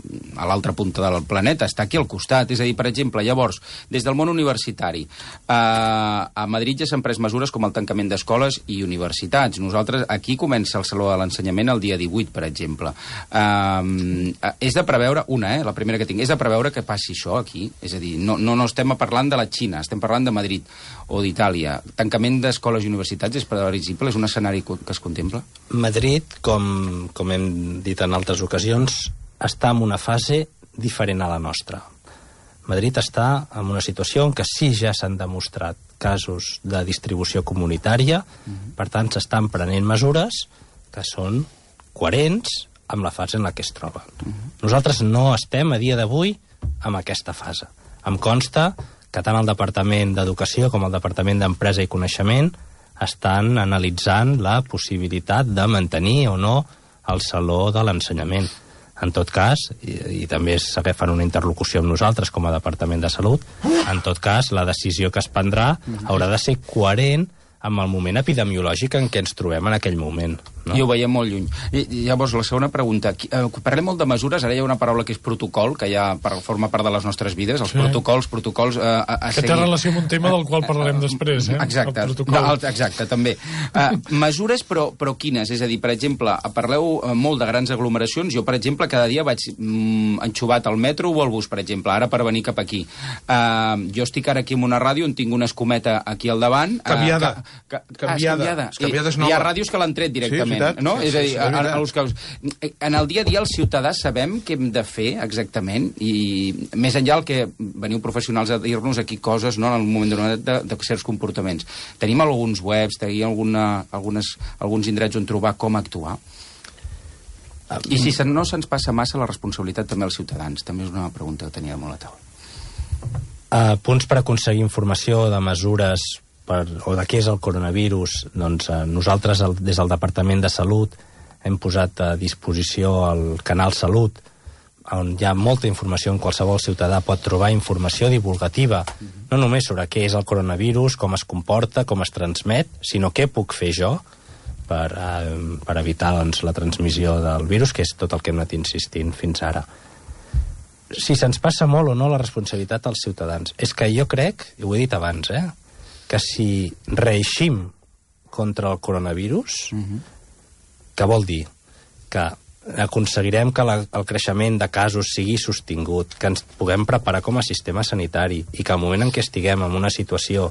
Speaker 7: l'altra punta del planeta, està aquí al costat. És a dir, per exemple, llavors, des del món universitari, a Madrid ja s'han pres mesures com el tancament d'escoles i universitats. Nosaltres, aquí comença el Saló de l'Ensenyament el dia 18, per exemple. És de preveure, la primera que tinc, és de preveure que passi això aquí. És a dir, no estem parlant de la Xina, estem parlant de Madrid o d'Itàlia. Tancament d'escoles i universitats és previsible? És un escenari que es contempla?
Speaker 3: Madrid, com hem dit en altres ocasions, està en una fase diferent a la nostra. Madrid està en una situació en què sí ja s'han demostrat casos de distribució comunitària, per tant s'estan prenent mesures que són coherents amb la fase en la que es troba. Nosaltres no estem a dia d'avui en aquesta fase. Em consta que tant el Departament d'Educació com el Departament d'Empresa i Coneixement estan analitzant la possibilitat de mantenir o no el Saló de l'Ensenyament. En tot cas, i també s'agafen una interlocució amb nosaltres com a Departament de Salut, en tot cas, la decisió que es prendrà haurà de ser coherent amb el moment epidemiològic en què ens trobem en aquell moment. No?
Speaker 7: I ho veiem molt lluny. Llavors, la segona pregunta. Parlem molt de mesures, ara hi ha una paraula que és protocol, que ja forma part de les nostres vides, els protocols a
Speaker 4: que té relació amb un tema del qual parlarem després,
Speaker 7: Exacte, també. Mesures, però quines? És a dir, per exemple, parleu molt de grans aglomeracions. Jo, per exemple, cada dia vaig enxuvat al metro o al bus, per exemple, ara per venir cap aquí. Jo estic ara aquí en una ràdio on tinc una escometa aquí al davant.
Speaker 2: Canviada.
Speaker 7: Canviada és nova. Hi ha ràdios que l'han tret directament. exactament. No? És a dir, en el dia a dia el ciutadà sabem què hem de fer exactament i més enllà el que veniu professionals a dir-nos aquí coses, no, en el moment donat de certs comportaments. Tenim alguns webs, tenim alguns indrets on trobar com actuar. I si no se'ns passa massa la responsabilitat també als ciutadans, també és una pregunta que tenia molt a taula.
Speaker 3: Punts per aconseguir informació de mesures o de què és el coronavirus. Doncs nosaltres des del Departament de Salut hem posat a disposició el canal Salut, on hi ha molta informació, on qualsevol ciutadà pot trobar informació divulgativa, no només sobre què és el coronavirus, com es comporta, com es transmet, sinó què puc fer jo per evitar la transmissió del virus, que és tot el que hem anat insistint fins ara. Si se'ns passa molt o no la responsabilitat als ciutadans. És que jo crec, i ho he dit abans, que si reeixim contra el coronavirus, que vol dir que aconseguirem que el creixement de casos sigui sostingut, que ens puguem preparar com a sistema sanitari i que al moment en què estiguem en una situació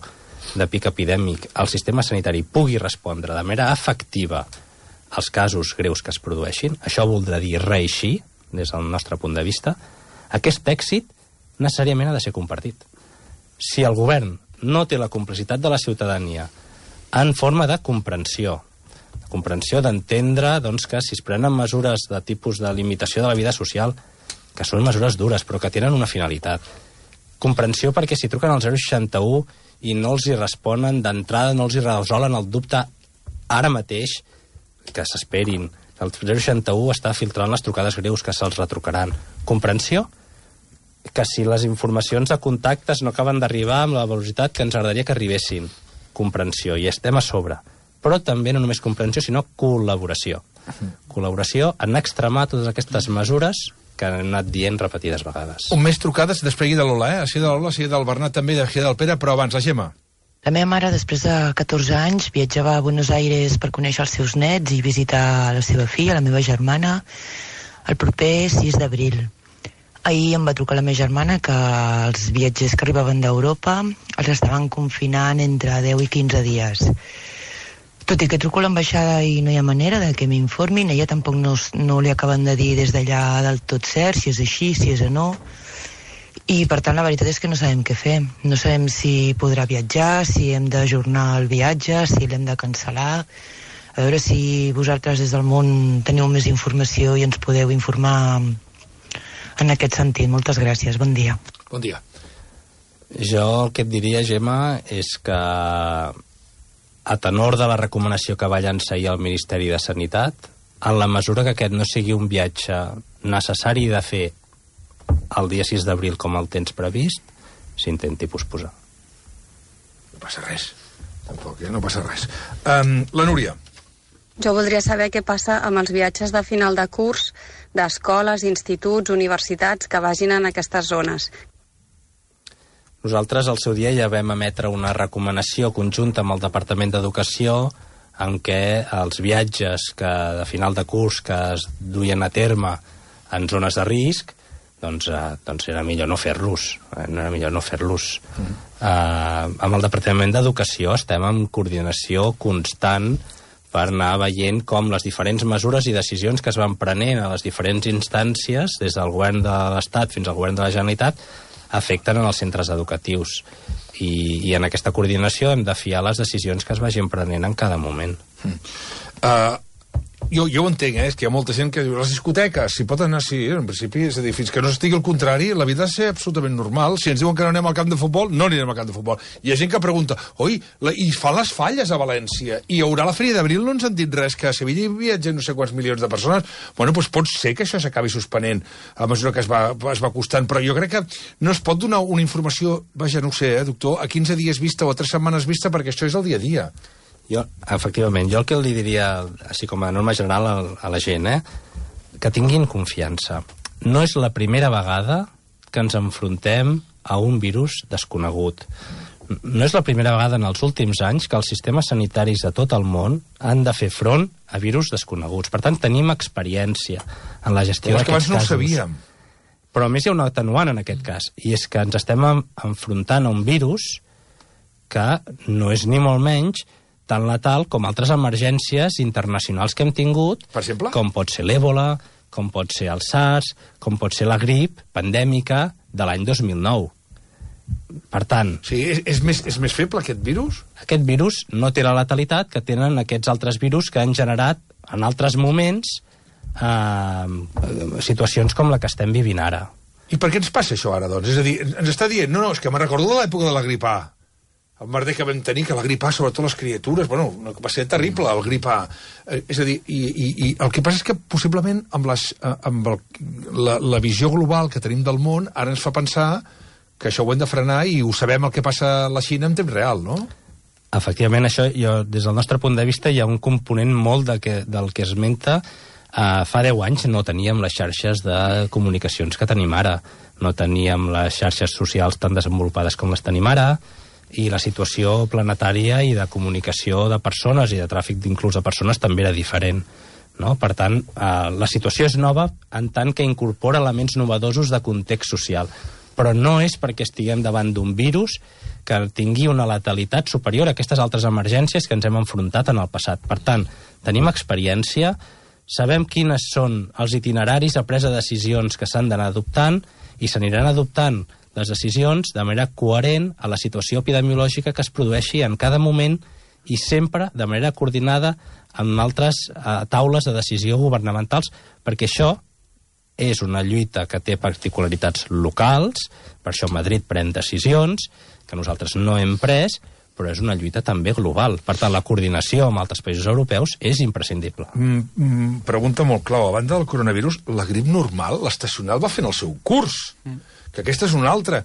Speaker 3: de pic epidèmic, el sistema sanitari pugui respondre de manera efectiva als casos greus que es produeixin, això voldrà dir reeixir, des del nostre punt de vista, aquest èxit necessàriament ha de ser compartit. Si el govern no té la complicitat de la ciutadania en forma de comprensió d'entendre que si es prenen mesures de tipus de limitació de la vida social, que són mesures dures però que tenen una finalitat, comprensió perquè si truquen al 061 i no els hi responen d'entrada, no els hi resolen el dubte ara mateix, que s'esperin. El 061 està filtrant les trucades greus, que se'ls retrucaran. Comprensió que si les informacions de contactes no acaben d'arribar amb la velocitat que ens agradaria que arribessin. Comprensió, i estem a sobre. Però també no només comprensió, sinó col·laboració. Col·laboració en extremar totes aquestes mesures que han anat dient repetides vegades.
Speaker 2: Un mes trucades, després de l'Ola, Així de l'Ola, així del Bernat també, així del Pere, però abans la Gemma.
Speaker 18: La meva mare, després de 14 anys, viatjava a Buenos Aires per conèixer els seus nets i visitar la seva filla, la meva germana, el proper 6 d'abril. Ahir em va trucar la meva germana que els viatgers que arribaven d'Europa els estaven confinant entre 10 i 15 dies. Tot i que truco a l'ambaixada i no hi ha manera de que m'informin, ella tampoc no li acaben de dir des d'allà del tot cert, si és així, si és o no. I per tant la veritat és que no sabem què fer. No sabem si podrà viatjar, si hem d'ajornar el viatge, si l'hem de cancel·lar. A veure si vosaltres des del món teniu més informació i ens podeu informar en aquest sentit. Moltes gràcies, bon dia.
Speaker 2: Bon dia.
Speaker 3: Jo el que et diria, Gemma, és que a tenor de la recomanació que va llançar ahir el Ministeri de Sanitat, en la mesura que aquest no sigui un viatge necessari de fer el dia 6 d'abril com el tens previst, s'intenti posposar.
Speaker 2: No passa res. Tampoc, no passa res. La Núria.
Speaker 19: Jo voldria saber què passa amb els viatges de final de curs d'escoles, instituts, universitats que vagin en aquestes zones.
Speaker 3: Nosaltres al seu dia ja vam emetre una recomanació conjunta amb el Departament d'Educació en què els viatges de final de curs que es duien a terme en zones de risc doncs era millor no fer-los. Amb el Departament d'Educació estem en coordinació constant per anar veient com les diferents mesures i decisions que es van prenent a les diferents instàncies, des del govern de l'Estat fins al govern de la Generalitat, afecten en els centres educatius. I en aquesta coordinació hem de fiar les decisions que es vagin prenent en cada moment.
Speaker 2: Jo ho entenc, és que hi ha molta gent que diu les discoteques, si pot anar així, en principi, és a dir, fins que no estigui al contrari, la vida ha de ser absolutament normal. Si ens diuen que no anem al camp de futbol, no anirem al camp de futbol. Hi ha gent que pregunta, oi, i fan les falles a València, i hi haurà la Fèria d'Abril, no ens han dit res, que a Sevilla hi viatgen no sé quants milions de persones. Bueno, doncs pot ser que això s'acabi suspenent a mesura que es va costant, però jo crec que no es pot donar una informació, vaja, no ho sé, doctor, a 15 dies vista o a 3 setmanes vista, perquè això és el dia a dia.
Speaker 3: Efectivament, jo el que li diria, així com a norma general a la gent, que tinguin confiança. No és la primera vegada que ens enfrontem a un virus desconegut. No és la primera vegada en els últims anys que els sistemes sanitaris de tot el món han de fer front a virus desconeguts. Per tant, tenim experiència en la gestió d'aquests casos.
Speaker 2: Però és que abans no ho sabíem.
Speaker 3: Però a més hi ha un atenuant en aquest cas, i és que ens estem enfrontant a un virus que no és ni molt menys tan letal com altres emergències internacionals que hem tingut,
Speaker 2: per exemple?
Speaker 3: Com pot ser l'Ébola, com pot ser el SARS, com pot ser la grip pandèmica de l'any 2009. Per tant...
Speaker 2: Sí, és més feble aquest virus?
Speaker 3: Aquest virus no té la letalitat que tenen aquests altres virus que han generat en altres moments situacions com la que estem vivint ara.
Speaker 2: I per què ens passa això ara, doncs? És a dir, ens està dient, no, és que me'n recordo de l'època de la grip A. El merder que vam tenir, que la grip A, sobretot les criatures, bueno, va ser terrible, el grip A. És a dir, i el que passa és que possiblement amb la visió global que tenim del món, ara ens fa pensar que això ho hem de frenar i ho sabem el que passa a la Xina en temps real, no?
Speaker 3: Efectivament, això, des del nostre punt de vista, hi ha un component molt del que esmenta. Fa 10 anys no teníem les xarxes de comunicacions que tenim ara. No teníem les xarxes socials tan desenvolupades com les tenim ara, i la situació planetària i de comunicació de persones i de tràfic inclús de persones també era diferent. No? Per tant, la situació és nova en tant que incorpora elements novedosos de context social, però no és perquè estiguem davant d'un virus que tingui una letalitat superior a aquestes altres emergències que ens hem enfrontat en el passat. Per tant, tenim experiència, sabem quines són els itineraris a presa de decisions que s'han d'anar adoptant i s'aniran adoptant les decisions de manera coherent a la situació epidemiològica que es produeixi en cada moment i sempre de manera coordinada amb altres taules de decisió governamentals, perquè això és una lluita que té particularitats locals, per això Madrid pren decisions que nosaltres no hem pres, però és una lluita també global. Per tant, la coordinació amb altres països europeus és imprescindible.
Speaker 2: Pregunta molt clau. A banda del coronavirus, la grip normal, l'estacional, va fent el seu curs. Que aquesta és una altra.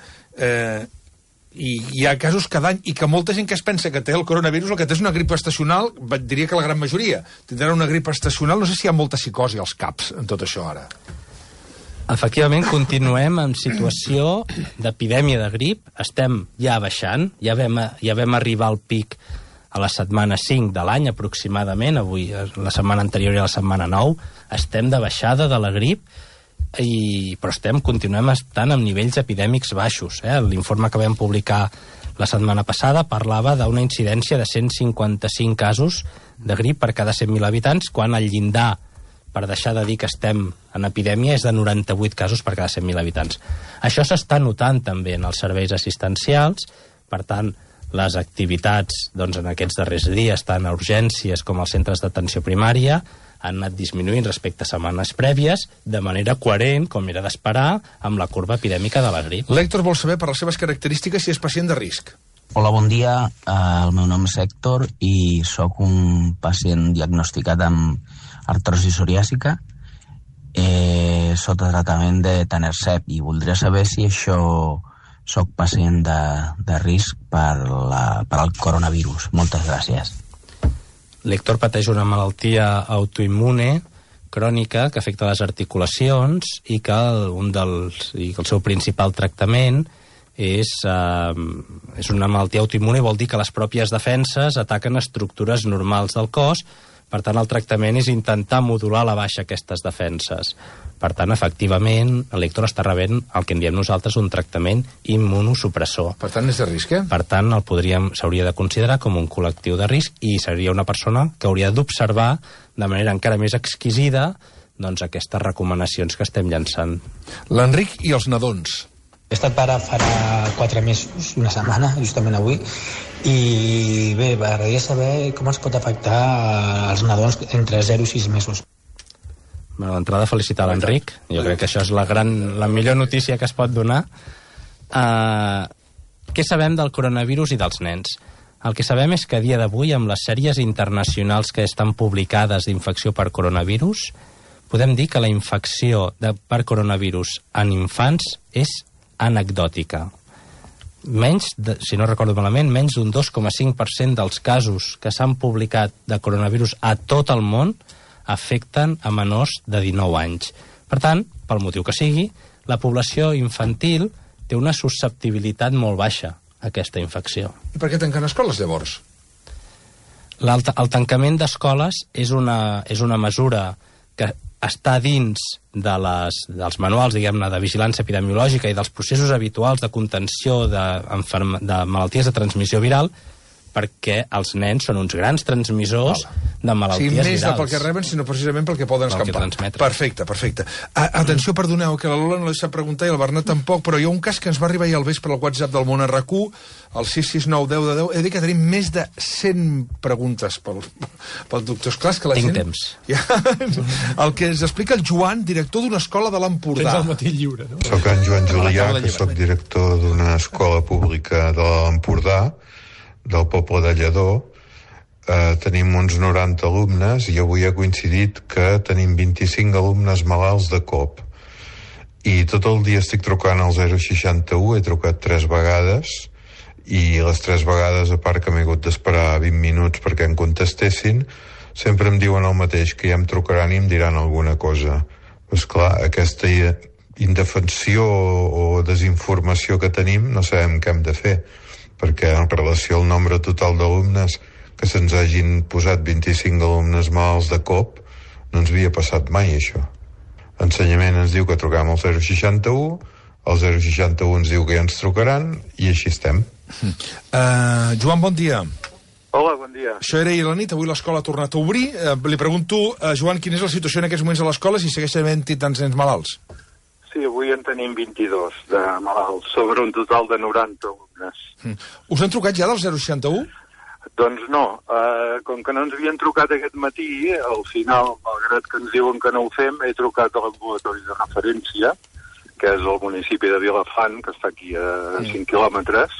Speaker 2: I hi ha casos cada any, i que molta gent que es pensa que té el coronavirus, el que té és una grip estacional, diria que la gran majoria tindran una grip estacional. No sé si hi ha molta psicosi als caps en tot això ara.
Speaker 3: Efectivament, continuem en situació d'epidèmia de grip. Estem ja baixant, ja vam arribar al pic a la setmana 5 de l'any, aproximadament. Avui, la setmana anterior i la setmana 9, estem de baixada de la grip, però continuem estant amb nivells epidèmics baixos. L'informe que vam publicar la setmana passada parlava d'una incidència de 155 casos de grip per cada 100.000 habitants, quan el llindar per deixar de dir que estem en epidèmia és de 98 casos per cada 100.000 habitants. Això s'està notant també en els serveis assistencials, per tant, les activitats en aquests darrers dies, tant a urgències com als centres d'atenció primària, han anat disminuint respecte a setmanes prèvies, de manera coherent, com era d'esperar, amb la curva epidèmica de la grip.
Speaker 2: L'Hèctor vol saber, per les seves característiques, si és pacient de risc.
Speaker 20: Hola, bon dia. El meu nom és Hèctor i sóc un pacient diagnosticat amb artrosi psoriàsica sota tractament de Tanercep, i voldria saber si això sóc pacient de risc per al coronavirus. Moltes gràcies.
Speaker 3: L'Hèctor pateix una malaltia autoimmune crònica que afecta les articulacions i que el seu principal tractament és una malaltia autoimmune, vol dir que les pròpies defenses ataquen estructures normals del cos. Per tant, el tractament és intentar modular a la baixa aquestes defenses. Per tant, efectivament, l'Hèctor està rebent el que en diem nosaltres un tractament immunosupressor.
Speaker 2: Per tant, és de risc,
Speaker 3: Per tant, s'hauria de considerar com un col·lectiu de risc i seria una persona que hauria d'observar de manera encara més exquisida aquestes recomanacions que estem llançant.
Speaker 2: L'Enric i els nadons.
Speaker 21: He estat pare farà 4 mesos, una setmana, justament avui, i bé, m'agradaria saber com es pot afectar als nadons entre 0 i 6 mesos.
Speaker 3: D'entrada, felicitar l'Enric. Jo crec que això és la millor notícia que es pot donar. Què sabem del coronavirus i dels nens? El que sabem és que a dia d'avui, amb les sèries internacionals que estan publicades d'infecció per coronavirus, podem dir que la infecció per coronavirus en infants és anecdòtica. Si no recordo malament, menys d'un 2,5% dels casos que s'han publicat de coronavirus a tot el món afecten a menors de 19 anys. Per tant, pel motiu que sigui, la població infantil té una susceptibilitat molt baixa a aquesta infecció.
Speaker 2: I per què tanquen escoles, llavors?
Speaker 3: El tancament d'escoles és una mesura que està dins dels manuals, diguem-ne, de vigilància epidemiològica i dels processos habituals de contenció de malalties de transmissió viral, perquè els nens són uns grans transmissors de malalties virals.
Speaker 2: Més pel que reben, sinó precisament pel que poden escampar. Perfecte. Atenció, perdoneu, que la Lola no l'ha preguntat i el Bernat tampoc, però hi ha un cas que ens va arribar ahir al vespre al WhatsApp del Món RQ, el 669 10 10. He de dir que tenim més de 100 preguntes pel doctor. Esclar, que la
Speaker 3: Tinc
Speaker 2: gent...
Speaker 3: temps.
Speaker 2: El que ens explica el Joan, director d'una escola de l'Empordà.
Speaker 4: Tens el matí lliure, no?
Speaker 5: Soc en Joan Julià, que soc director d'una escola pública de l'Empordà, del poble de Lledó. Tenim uns 90 alumnes i avui ha coincidit que tenim 25 alumnes malalts de cop. I tot el dia estic trucant al 061, he trucat 3 vegades, i les 3 vegades, a part que m'he hagut d'esperar 20 minuts perquè em contestessin, sempre em diuen el mateix, que ja em trucaran i em diran alguna cosa. Però, esclar, aquesta indefensió o desinformació que tenim no sabem què hem de fer, perquè en relació al nombre total d'alumnes que se'ns hagin posat 25 alumnes malalts de cop, no ens havia passat mai això. Ensenyament ens diu que truquem al 061, el 061 ens diu que ja ens trucaran i així estem.
Speaker 2: Joan, bon dia.
Speaker 22: Hola, bon dia.
Speaker 2: Això era ahir a la nit, avui l'escola ha tornat a obrir. Li pregunto, Joan, quina és la situació en aquests moments a l'escola, si segueix havent-hi tants nens malalts?
Speaker 22: Sí, avui en tenim 22 de malalts, sobre un total de 90 alumnes.
Speaker 2: Us han trucat ja del 061?
Speaker 22: Doncs no, com que no ens havien trucat aquest matí, al final, malgrat que ens diuen que no ho fem, he trucat a l'ambulatori de referència, que és el municipi de Vilafant, que està aquí a 5 quilòmetres,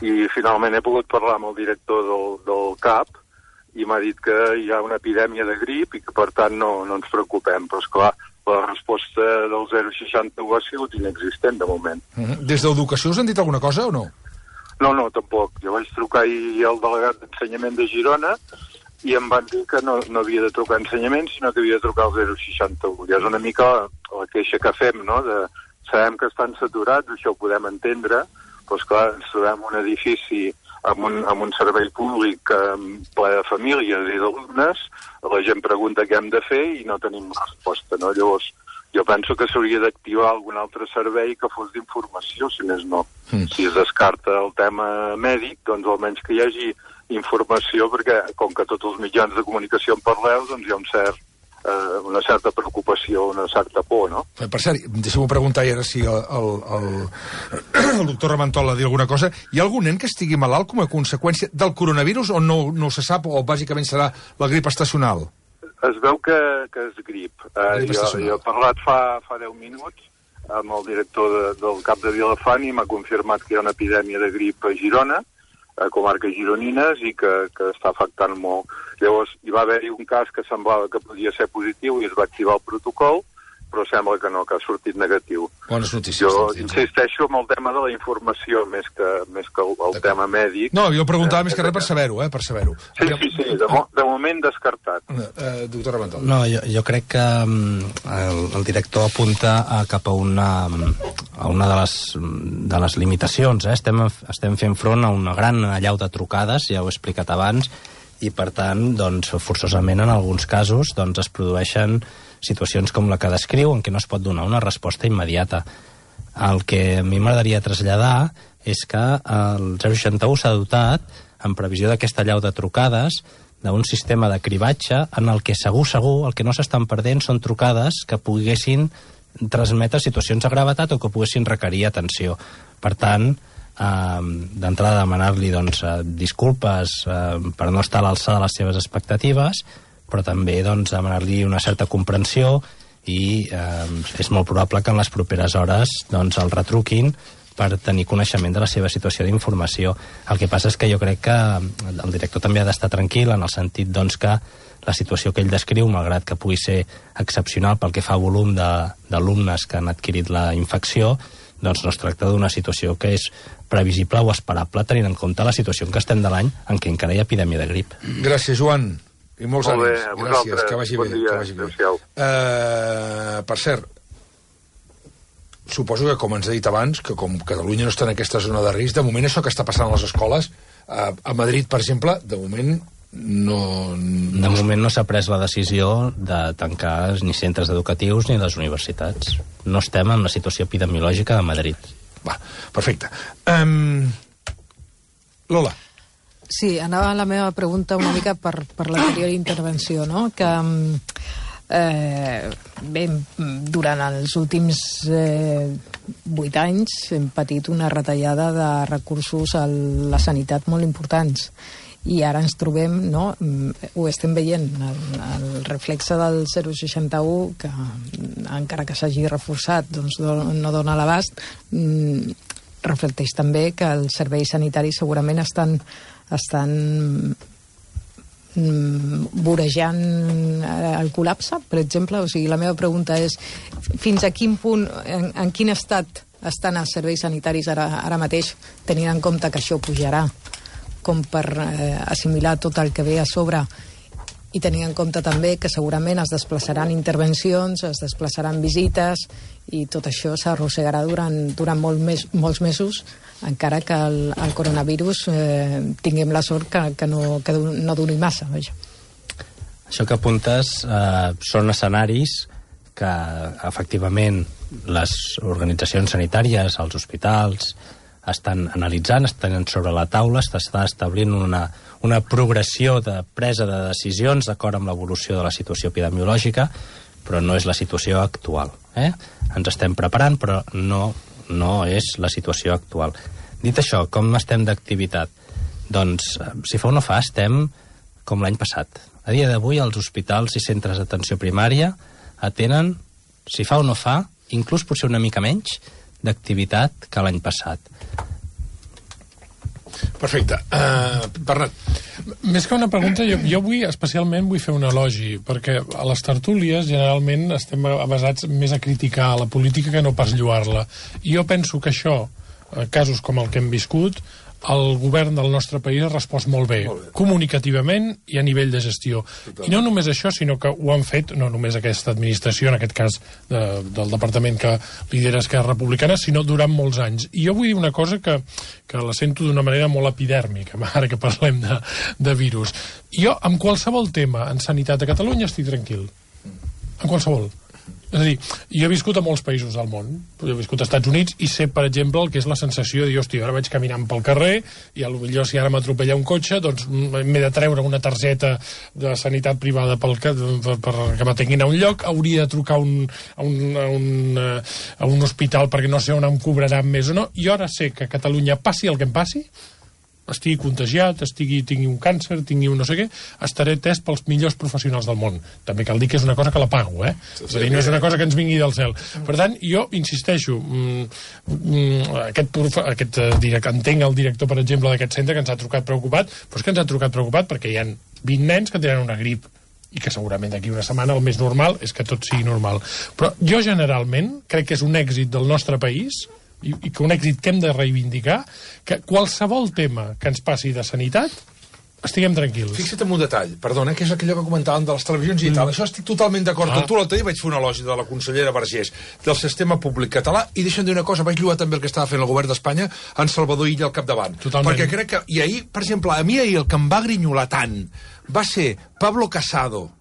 Speaker 22: i finalment he pogut parlar amb el director del CAP i m'ha dit que hi ha una epidèmia de grip i que per tant no ens preocupem, però esclar, la resposta del 061 ha sigut inexistent de moment.
Speaker 2: Des d'Educació us han dit alguna cosa o no?
Speaker 22: No, tampoc. Jo vaig trucar ahir al delegat d'Ensenyament de Girona i em van dir que no havia de trucar a Ensenyament, sinó que havia de trucar al 061. Ja és una mica la queixa que fem, no? Sabem que estan saturats, això ho podem entendre, però esclar, ens trobem un edifici amb un servei públic ple de famílies i d'alumnes, la gent pregunta què hem de fer i no tenim resposta, no? Llavors, jo penso que s'hauria d'activar algun altre servei que fos d'informació, si més no. Si es descarta el tema mèdic, doncs almenys que hi hagi informació, perquè com que tots els mitjans de comunicació en parleu, doncs hi ha una certa preocupació, una certa por, no?
Speaker 2: Per cert, deixeu-me preguntar ara si el doctor Ramantola diu alguna cosa. Hi ha algun nen que estigui malalt com a conseqüència del coronavirus o no se sap, o bàsicament serà la grip estacional?
Speaker 22: Es veu que és grip. Jo he parlat fa 10 minuts amb el director del CAP de Vilafant i m'ha confirmat que hi ha una epidèmia de grip a Girona, a comarques gironines, i que està afectant molt. Llavors, hi va haver-hi un cas que semblava que podia ser positiu i es va activar el protocol, però sembla que no, que ha sortit negatiu.
Speaker 2: Bones notícies.
Speaker 22: Jo insisteixo en el tema de la informació més que el tema mèdic.
Speaker 2: No, jo preguntava més que res per saber-ho, per saber-ho.
Speaker 22: Sí, de moment descartat.
Speaker 2: Doctor Ramantola.
Speaker 3: No, jo crec que el director apunta cap a una de les limitacions. Estem fent front a una gran allau de trucades, ja ho he explicat abans, i per tant, doncs, forçosament en alguns casos es produeixen situacions com la que descriu, en què no es pot donar una resposta immediata. El que a mi m'agradaria traslladar és que el 061 s'ha dotat, en previsió d'aquesta allau de trucades, d'un sistema de cribatge en el que segur el que no s'estan perdent són trucades que poguessin transmetre situacions de gravetat o que poguessin requerir atenció. Per tant, d'entrada demanar-li disculpes per no estar a l'alçada de les seves expectatives, però també demanar-li una certa comprensió i és molt probable que en les properes hores el retruquin per tenir coneixement de la seva situació d'informació. El que passa és que jo crec que el director també ha d'estar tranquil en el sentit que la situació que ell descriu, malgrat que pugui ser excepcional pel que fa a volum d'alumnes que han adquirit la infecció, no es tracta d'una situació que és previsible o esperable tenint en compte la situació en què estem de l'any en què encara hi ha epidèmia de grip.
Speaker 2: Gràcies, Joan. I molts ànims.
Speaker 22: Gràcies,
Speaker 2: que vagi bé.
Speaker 22: Dia,
Speaker 2: que vagi bé.
Speaker 22: Per
Speaker 2: cert, suposo que, com ens he dit abans, que com Catalunya no està en aquesta zona de risc, de moment això que està passant a les escoles, a Madrid, per exemple, de moment no s'ha pres la decisió de tancar ni centres educatius ni les universitats. No estem en la situació epidemiològica de Madrid. Va, perfecte. Lola.
Speaker 16: Sí, anava la meva pregunta una mica per l'anterior intervenció, no? Que bé, durant els últims 8 anys hem patit una retallada de recursos a la sanitat molt importants. I ara ens trobem, no? Ho estem veient, el reflexe del 061, que encara que s'hagi reforçat, doncs no dona l'abast, reflecteix també que els serveis sanitaris segurament estan vorejant el col·lapse, per exemple. O sigui, la meva pregunta és fins a quin punt, en quin estat estan els serveis sanitaris ara mateix, tenint en compte que això pujarà, com per assimilar tot el que ve a sobre, i tenint en compte també que segurament es desplaçaran intervencions, es desplaçaran visites, i tot això s'arrossegarà durant molts mesos, encara que el coronavirus tinguem la sort que no duri massa.
Speaker 3: Això que apuntes són escenaris que efectivament les organitzacions sanitàries, els hospitals, estan analitzant, estan sobre la taula, s'està establint una progressió de presa de decisions d'acord amb l'evolució de la situació epidemiològica, però no és la situació actual. Ens estem preparant, però no és la situació actual. Dit això, com estem d'activitat? Doncs, si fa o no fa, estem com l'any passat. A dia d'avui, els hospitals i centres d'atenció primària atenen, si fa o no fa, inclús potser una mica menys, d'activitat que l'any passat.
Speaker 2: Perfecte. Bernat.
Speaker 4: Més que una pregunta, jo especialment vull fer un elogi, perquè a les tertúlies generalment estem basats més a criticar la política que no pas lloar-la. I jo penso que això, casos com el que hem viscut, el govern del nostre país ha respost molt bé, comunicativament i a nivell de gestió. I no només això, sinó que ho han fet, no només aquesta administració, en aquest cas del departament que lidera Esquerra Republicana, sinó durant molts anys. I jo vull dir una cosa que la sento d'una manera molt epidèrmica, ara que parlem de virus. Jo, amb qualsevol tema en sanitat a Catalunya estic tranquil. En qualsevol. És a dir, jo he viscut a molts països del món, he viscut als Estats Units i sé, per exemple, el que és la sensació de dir, hòstia, ara vaig caminant pel carrer i potser si ara m'atropella un cotxe, doncs m'he de treure una targeta de sanitat privada perquè m'atenguin a un lloc, hauria de trucar a un hospital perquè no sé on em cobraran més o no, i ara sé que a Catalunya passi el que em passi, estigui contagiat, tingui un càncer, tingui un no sé què, estaré atès pels millors professionals del món. També cal dir que és una cosa que la pago, És a dir, no és una cosa que ens vingui del cel. Per tant, jo insisteixo, entenc el director, per exemple, d'aquest centre que ens ha trucat preocupat, però és que ens ha trucat preocupat perquè hi ha 20 nens que tenen una grip i que segurament d'aquí una setmana el més normal és que tot sigui normal. Però jo generalment crec que és un èxit del nostre país i que un èxit que hem de reivindicar, que qualsevol tema que ens passi de sanitat estiguem tranquils.
Speaker 2: Fixa't en un detall, perdona, que és aquellò que comentàvem de les televisions i tal. Això estic totalment d'acord. Tu l'altre dia vaig fer un elogi de la consellera Vergés del sistema públic català i deixa'm dir una cosa, vaig lloar també el que estava fent el govern d'Espanya en Salvador Illa al capdavant.
Speaker 4: Totalment.
Speaker 2: Perquè crec que... I ahir, per exemple, a mi ahir el que em va grinyolar tant va ser Pablo Casado,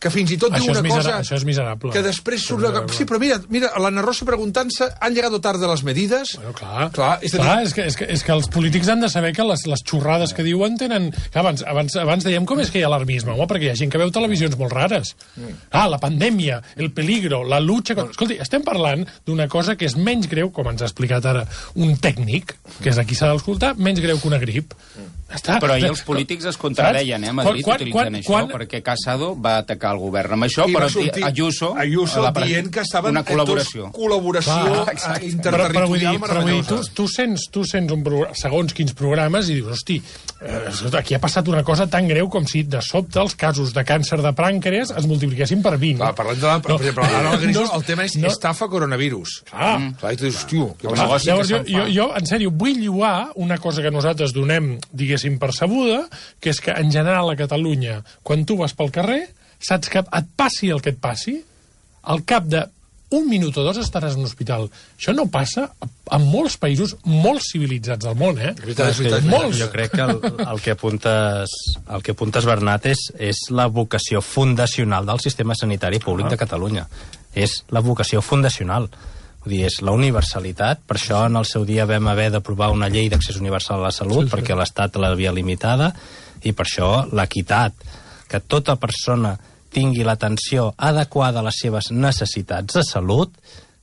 Speaker 2: que fins i tot diu una cosa...
Speaker 4: Això és miserable.
Speaker 2: Que després surt... Sí, però mira, l'Anna Rosa preguntant-se ¿han llegado tarde las medidas?
Speaker 4: Bueno, clar, és que els polítics han de saber que les xorrades que diuen tenen... Abans dèiem com és que hi ha alarmisme, perquè hi ha gent que veu televisions molt rares. La pandèmia, el peligro, la lucha... Escolti, estem parlant d'una cosa que és menys greu, com ens ha explicat ara un tècnic, que és aquí s'ha d'escoltar, menys greu que una grip.
Speaker 7: Però ahir els polítics es contradeien, a Madrid, utilitzant això, perquè Casado va atacar el govern amb això, però Ayuso
Speaker 2: dient que estaven
Speaker 7: una col·laboració
Speaker 2: interterritorial
Speaker 4: meravellosa. Tu sents segons quins programes i dius, hosti, aquí ha passat una cosa tan greu com si de sobte els casos de càncer de prànqueres es multipliquessin per 20.
Speaker 2: Parlant de... Per exemple, el tema és estafa coronavirus. Clar, i tu dius, tio...
Speaker 4: Jo, en sèrio, vull lloar una cosa que nosaltres donem, diguéssim, percebuda, que és que en general a Catalunya, quan tu vas pel carrer, saps que et passi el que et passi, al cap d'un minut o dos estaràs en un hospital. Això no passa en molts països molt civilitzats del món, Molts.
Speaker 3: Jo crec que el que apuntes, Bernat, és la vocació fundacional del sistema sanitari públic de Catalunya. És la vocació fundacional. Vull dir, és la universalitat. Per això en el seu dia vam haver d'aprovar una llei d'accés universal a la salut, perquè l'Estat l'havia limitada, i per això l'equitat, que tota persona tingui l'atenció adequada a les seves necessitats de salut,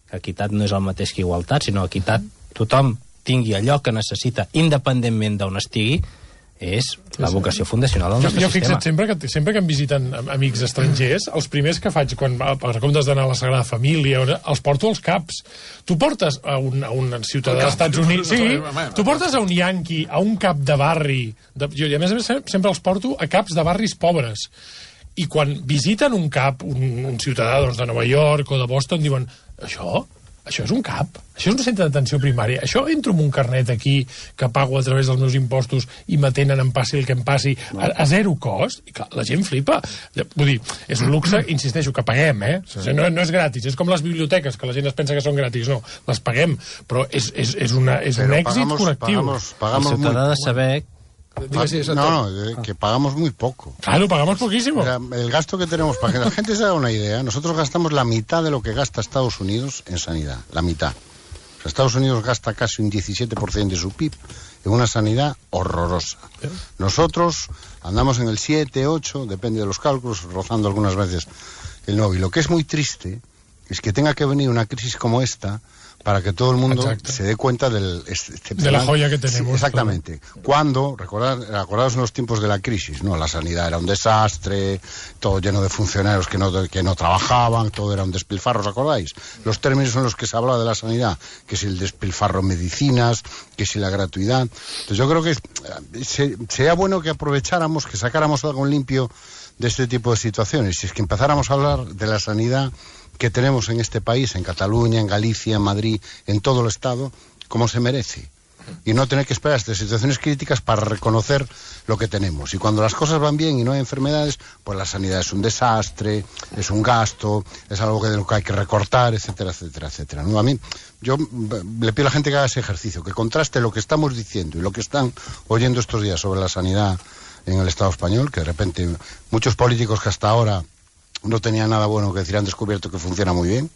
Speaker 3: que equitat no és el mateix que igualtat, sinó equitat, tothom tingui allò que necessita independentment d'on estigui, és la vocació fundacional del nostre
Speaker 4: sistema. Jo fixa't, sempre que em visiten amics estrangers, els primers que faig, quan per comptes d'anar a la Sagrada Família, els porto als CAPs. Tu portes a un ciutadà dels Estats Units... Sí, tu portes a un yanqui, a un cap de barri... I a més sempre els porto a caps de barris pobres. I quan visiten un cap, un ciutadà de Nova York o de Boston, diuen, això és un cap, això és un centre d'atenció primària, això entro amb un carnet aquí que pago a través dels meus impostos i m'atenen em passi el que em passi a zero cost, i clar, la gent flipa. Vull dir, és un luxe, insisteixo, que paguem, no és gratis, és com les biblioteques, que la gent es pensa que són gratis, no, les paguem, però és un èxit col·lectiu.
Speaker 3: El ciutadà ha de saber...
Speaker 17: No, que pagamos muy poco.
Speaker 4: Claro, pagamos poquísimo.
Speaker 17: El gasto que tenemos, para que la gente se haga una idea, nosotros gastamos la mitad de lo que gasta Estados Unidos en sanidad, la mitad. O sea, Estados Unidos gasta casi un 17% de su PIB en una sanidad horrorosa. Nosotros andamos en el 7, 8, depende de los cálculos, rozando algunas veces el 9. Y lo que es muy triste es que tenga que venir una crisis como esta para que todo el mundo se dé cuenta de
Speaker 4: la joya que tenemos.
Speaker 17: Sí, exactamente. Cuando, recordaos en los tiempos de la crisis, ¿no? La sanidad era un desastre, todo lleno de funcionarios que no trabajaban, todo era un despilfarro, ¿os acordáis? Los términos en los que se hablaba de la sanidad, que si el despilfarro en medicinas, que si la gratuidad. Entonces yo creo que sería bueno que aprovecháramos, que sacáramos algo en limpio de este tipo de situaciones. Si es que empezáramos a hablar de la sanidad que tenemos en este país, en Cataluña, en Galicia, en Madrid, en todo el Estado, como se merece. Y no tener que esperar estas situaciones críticas para reconocer lo que tenemos. Y cuando las cosas van bien y no hay enfermedades, pues la sanidad es un desastre, es un gasto, es algo de lo que hay que recortar, etcétera, etcétera, etcétera. ¿No? A mí, yo le pido a la gente que haga ese ejercicio, que contraste lo que estamos diciendo y lo que están oyendo estos días sobre la sanidad en el Estado español, que de repente muchos políticos que hasta ahora no tenía nada bueno que decir, han descubierto que funciona muy bien,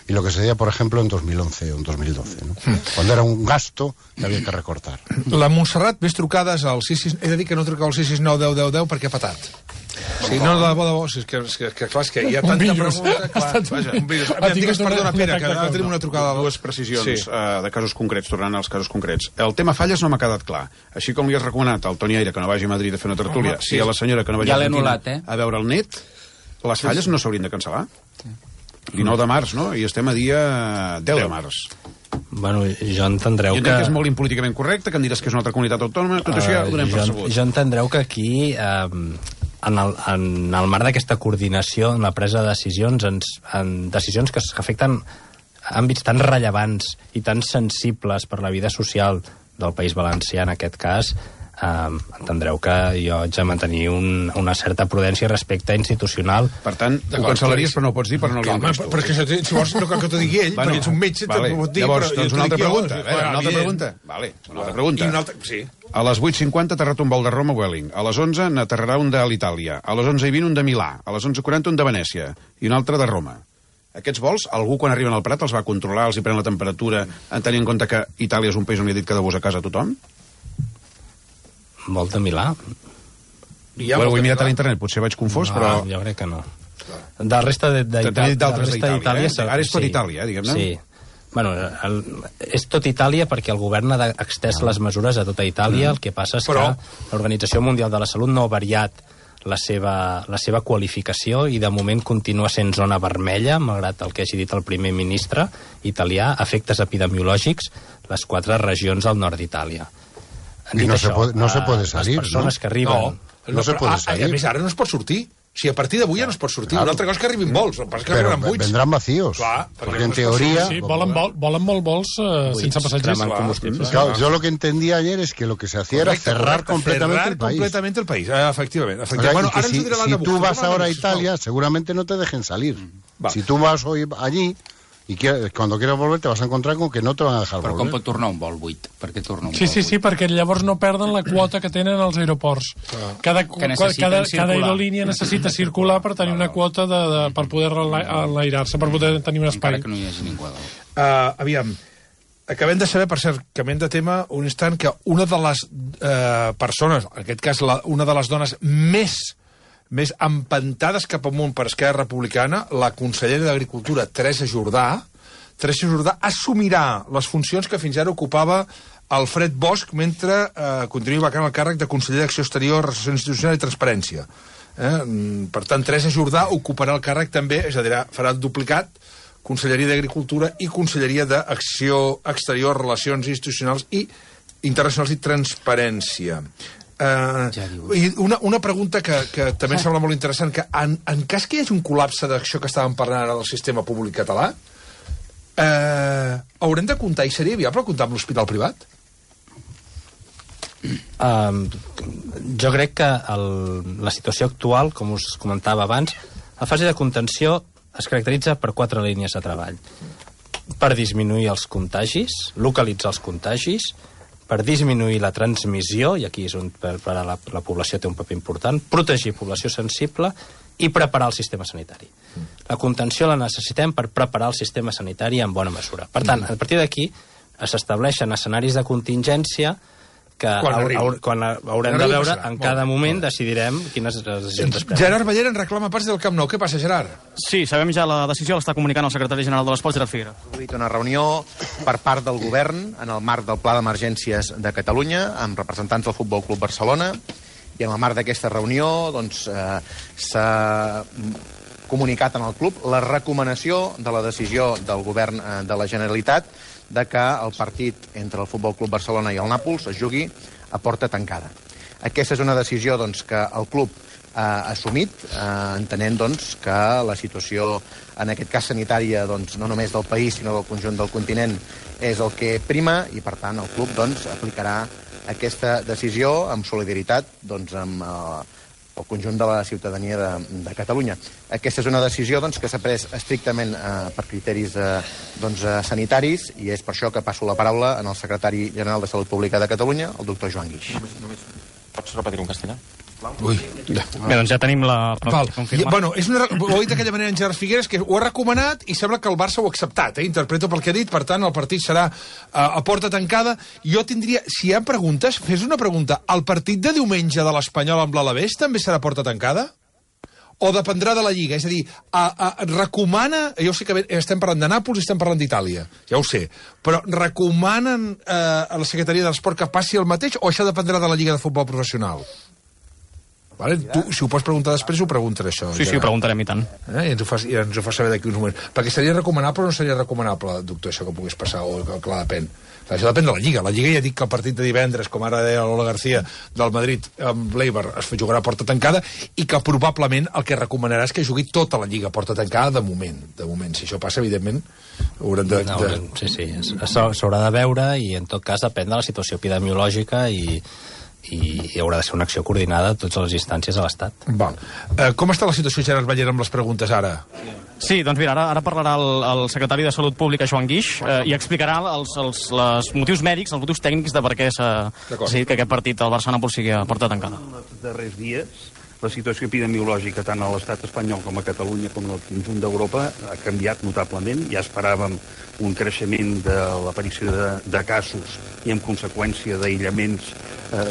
Speaker 17: y lo que se decía, por ejemplo, en 2011 o en 2012, ¿no? Cuando era un gasto que havia que recortar.
Speaker 2: La Montserrat, més trucades al 66... He de dir que no truqueu al 669 10 10 10 perquè ha patat. Sí, no, de bo, és que clar, és que hi ha tanta pregunta... Vaja, un virus. Digues, perdona, Pere, que ara tenim una trucada...
Speaker 1: Dues precisions de casos concrets, tornant als casos concrets. El tema falles no m'ha quedat clar. Així com li has recomanat al Toni Aire que no vagi a Madrid a fer una tertúlia, si a la senyora que no vagi a Argentina a veure el net, les falles no s'haurien de cancel·lar. 19 de març, no? I estem a dia 10 de març.
Speaker 3: Bueno, jo entendreu que...
Speaker 1: Jo entenc que és molt impolíticament correcte, que em diràs que és una altra comunitat autònoma, tot això ja ho donem per sabut.
Speaker 3: Jo entendreu que aquí, en el marc d'aquesta coordinació, en la presa de decisions, en decisions que afecten àmbits tan rellevants i tan sensibles per la vida social del País Valencià, en aquest cas, entendreu que jo haig de mantenir una certa prudència respecte institucional.
Speaker 1: Per tant, ho cancel·laries però no ho pots dir, però no li han vist.
Speaker 2: Però és que si vols no cal que t'ho digui ell, perquè ets un metge, t'ho pot dir.
Speaker 1: Llavors, doncs una altra pregunta. Una altra pregunta. Vale, una altra pregunta. A les 8:50 aterrat un vol de Roma a Vueling. A les 11 n'aterrarà un de l'Itàlia. A les 11:20 un de Milà. A les 11:40 un de Venècia. I un altre de Roma. Aquests vols, algú quan arriben al Prat els va controlar, els hi pren la temperatura, en tenint en compte que Itàlia és un país on li ha dit que debús a casa a tothom?
Speaker 3: Vol de Milà?
Speaker 1: Ho he mirat a l'internet, potser vaig confós, però...
Speaker 3: Jo crec que no. De la resta d'Itàlia...
Speaker 1: Ara és tot Itàlia, diguem-ne.
Speaker 3: Sí. Bueno, és tot Itàlia perquè el govern ha extès les mesures a tota Itàlia. El que passa és que l'Organització Mundial de la Salut no ha variat la seva qualificació i de moment continua sent zona vermella, malgrat el que hagi dit el primer ministre italià, efectes epidemiològics, les 4 regions del nord d'Itàlia.
Speaker 17: I no se puede salir,
Speaker 3: les persones que arriben...
Speaker 17: No se puede salir.
Speaker 2: A més, ara no es pot sortir. Si a partir d'avui ja no es pot sortir. Una altra cosa que arribin vols, el que passa que
Speaker 17: però
Speaker 2: arribaran buits.
Speaker 17: Vendran vacíos.
Speaker 2: Clar,
Speaker 17: porque en teoría...
Speaker 4: Sí, volen molt vols sense passatgers.
Speaker 17: Claro, yo lo que entendí ayer es que lo que se hacía era cerrar completamente el país.
Speaker 2: Completamente el país, efectivamente.
Speaker 17: Bueno, si tú vas ahora a Italia, seguramente no te dejen salir. Si tú vas hoy allí... i quan quieras volver te vas a encontrar con que no te van a dejar volver.
Speaker 7: Però com pot tornar un vol buit? Per què torna un vol
Speaker 4: buit? Sí, perquè llavors no perden la quota que tenen als aeroports. Cada aerolínia necessita circular per tenir una quota per poder enlairar-se, per poder tenir un espai.
Speaker 7: Encara que no hi hagi ningú.
Speaker 2: Aviam, acabem de saber, per cert, canviant de tema, un instant, que una de les persones, en aquest cas una de les dones més empantades cap amunt per Esquerra Republicana, la consellera d'Agricultura, Teresa Jordà, assumirà les funcions que fins ara ocupava Alfred Bosch mentre continuï vacant el càrrec de conseller d'Acció Exterior, Relacions Institucionals i Transparència. Per tant, Teresa Jordà ocuparà el càrrec també, és a dir, farà el duplicat, Conselleria d'Agricultura i Conselleria d'Acció Exterior, Relacions Institucionals i Internacionals i Transparència. I una pregunta que també em sembla molt interessant, que en cas que hi hagi un col·lapse d'això que estàvem parlant ara del sistema públic català, haurem de comptar, i seria viable comptar amb l'hospital privat?
Speaker 3: Jo crec que la situació actual, com us comentava abans, la fase de contenció es caracteritza per 4 línies de treball. Per disminuir els contagis, localitzar els contagis, per disminuir la transmissió, i aquí és on la població té un paper important, protegir població sensible i preparar el sistema sanitari. La contenció la necessitem per preparar el sistema sanitari en bona mesura. Per tant, a partir d'aquí s'estableixen escenaris de contingència que quan haurem de veure, en cada moment decidirem quines decisions es prenen.
Speaker 2: Gerard Ballera en reclama parts del Camp Nou. Què passa, Gerard?
Speaker 15: Sí, sabem ja la decisió, l'està comunicant el secretari general de l'Esports, Gerard Figueres.
Speaker 6: Ha hagut una reunió per part del govern en el marc del Pla d'Emergències de Catalunya amb representants del Futbol Club Barcelona, i en el marc d'aquesta reunió s'ha comunicat en el club la recomanació de la decisió del govern de la Generalitat de que el partit entre el Futbol Club Barcelona i el Nàpols es jugui a porta tancada. Aquesta és una decisió que el club ha assumit, entenent que la situació, en aquest cas sanitària, no només del país sinó del conjunt del continent, és el que prima, i per tant el club aplicarà aquesta decisió amb solidaritat amb el conjunt de la ciutadania de Catalunya. Aquesta és una decisió que s'ha pres estrictament per criteris sanitaris, i és per això que passo la paraula al secretari general de Salut Pública de Catalunya, el doctor Joan Guix.
Speaker 8: Pots repetir en castellà?
Speaker 2: Ui.
Speaker 15: Bé, doncs ja tenim la confirmació.
Speaker 2: Bueno, ho ha dit d'aquella manera en Gerard Figueres, que ho ha recomanat i sembla que el Barça ho ha acceptat, interpreto pel que ha dit, per tant el partit serà a porta tancada. Jo tindria, si hi ha preguntes, fes una pregunta. El partit de diumenge de l'Espanyol amb l'Alavés també serà a porta tancada? O dependrà de la Lliga? És a dir, recomana... Jo sé que estem parlant de Nàpols i estem parlant d'Itàlia, ja ho sé, però recomanen a la Secretaria de l'Esport que passi el mateix, o això dependrà de la Lliga de Futbol Professional? Vale? Tu, si ho pots preguntar després, ho preguntaré, això.
Speaker 15: Sí, ho preguntarem, i tant.
Speaker 2: I ens ho fa saber d'aquí uns moments. Perquè seria recomanable o no seria recomanable, doctor, això que pogués passar, o que clar, depèn. Això depèn de la Lliga. La Lliga ja dic que el partit de divendres, com ara deia Lola García, del Madrid amb l'Eibar, es jugarà a porta tancada, i que probablement el que recomanarà és que jugui tota la Lliga a porta tancada de moment. De moment. Si això passa, evidentment, haurem de...
Speaker 3: Sí, s'haurà de veure, i en tot cas depèn de la situació epidemiològica i haurà de ser una acció coordinada a totes les instàncies de l'Estat.
Speaker 2: Com està la situació, Gerard Ballera, amb les preguntes ara?
Speaker 15: Sí, doncs mira, ara parlarà el secretari de Salut Pública, Joan Guix, i explicarà els motius mèdics, els motius tècnics de per què s'ha decidit que aquest partit, el Barça-Nàpols, sigui a porta tancada.
Speaker 23: Els darrers dies, la situació epidemiològica tant a l'estat espanyol com a Catalunya com al conjunt d'Europa ha canviat notablement. Ja esperàvem un creixement de l'aparició de casos i en conseqüència d'aïllaments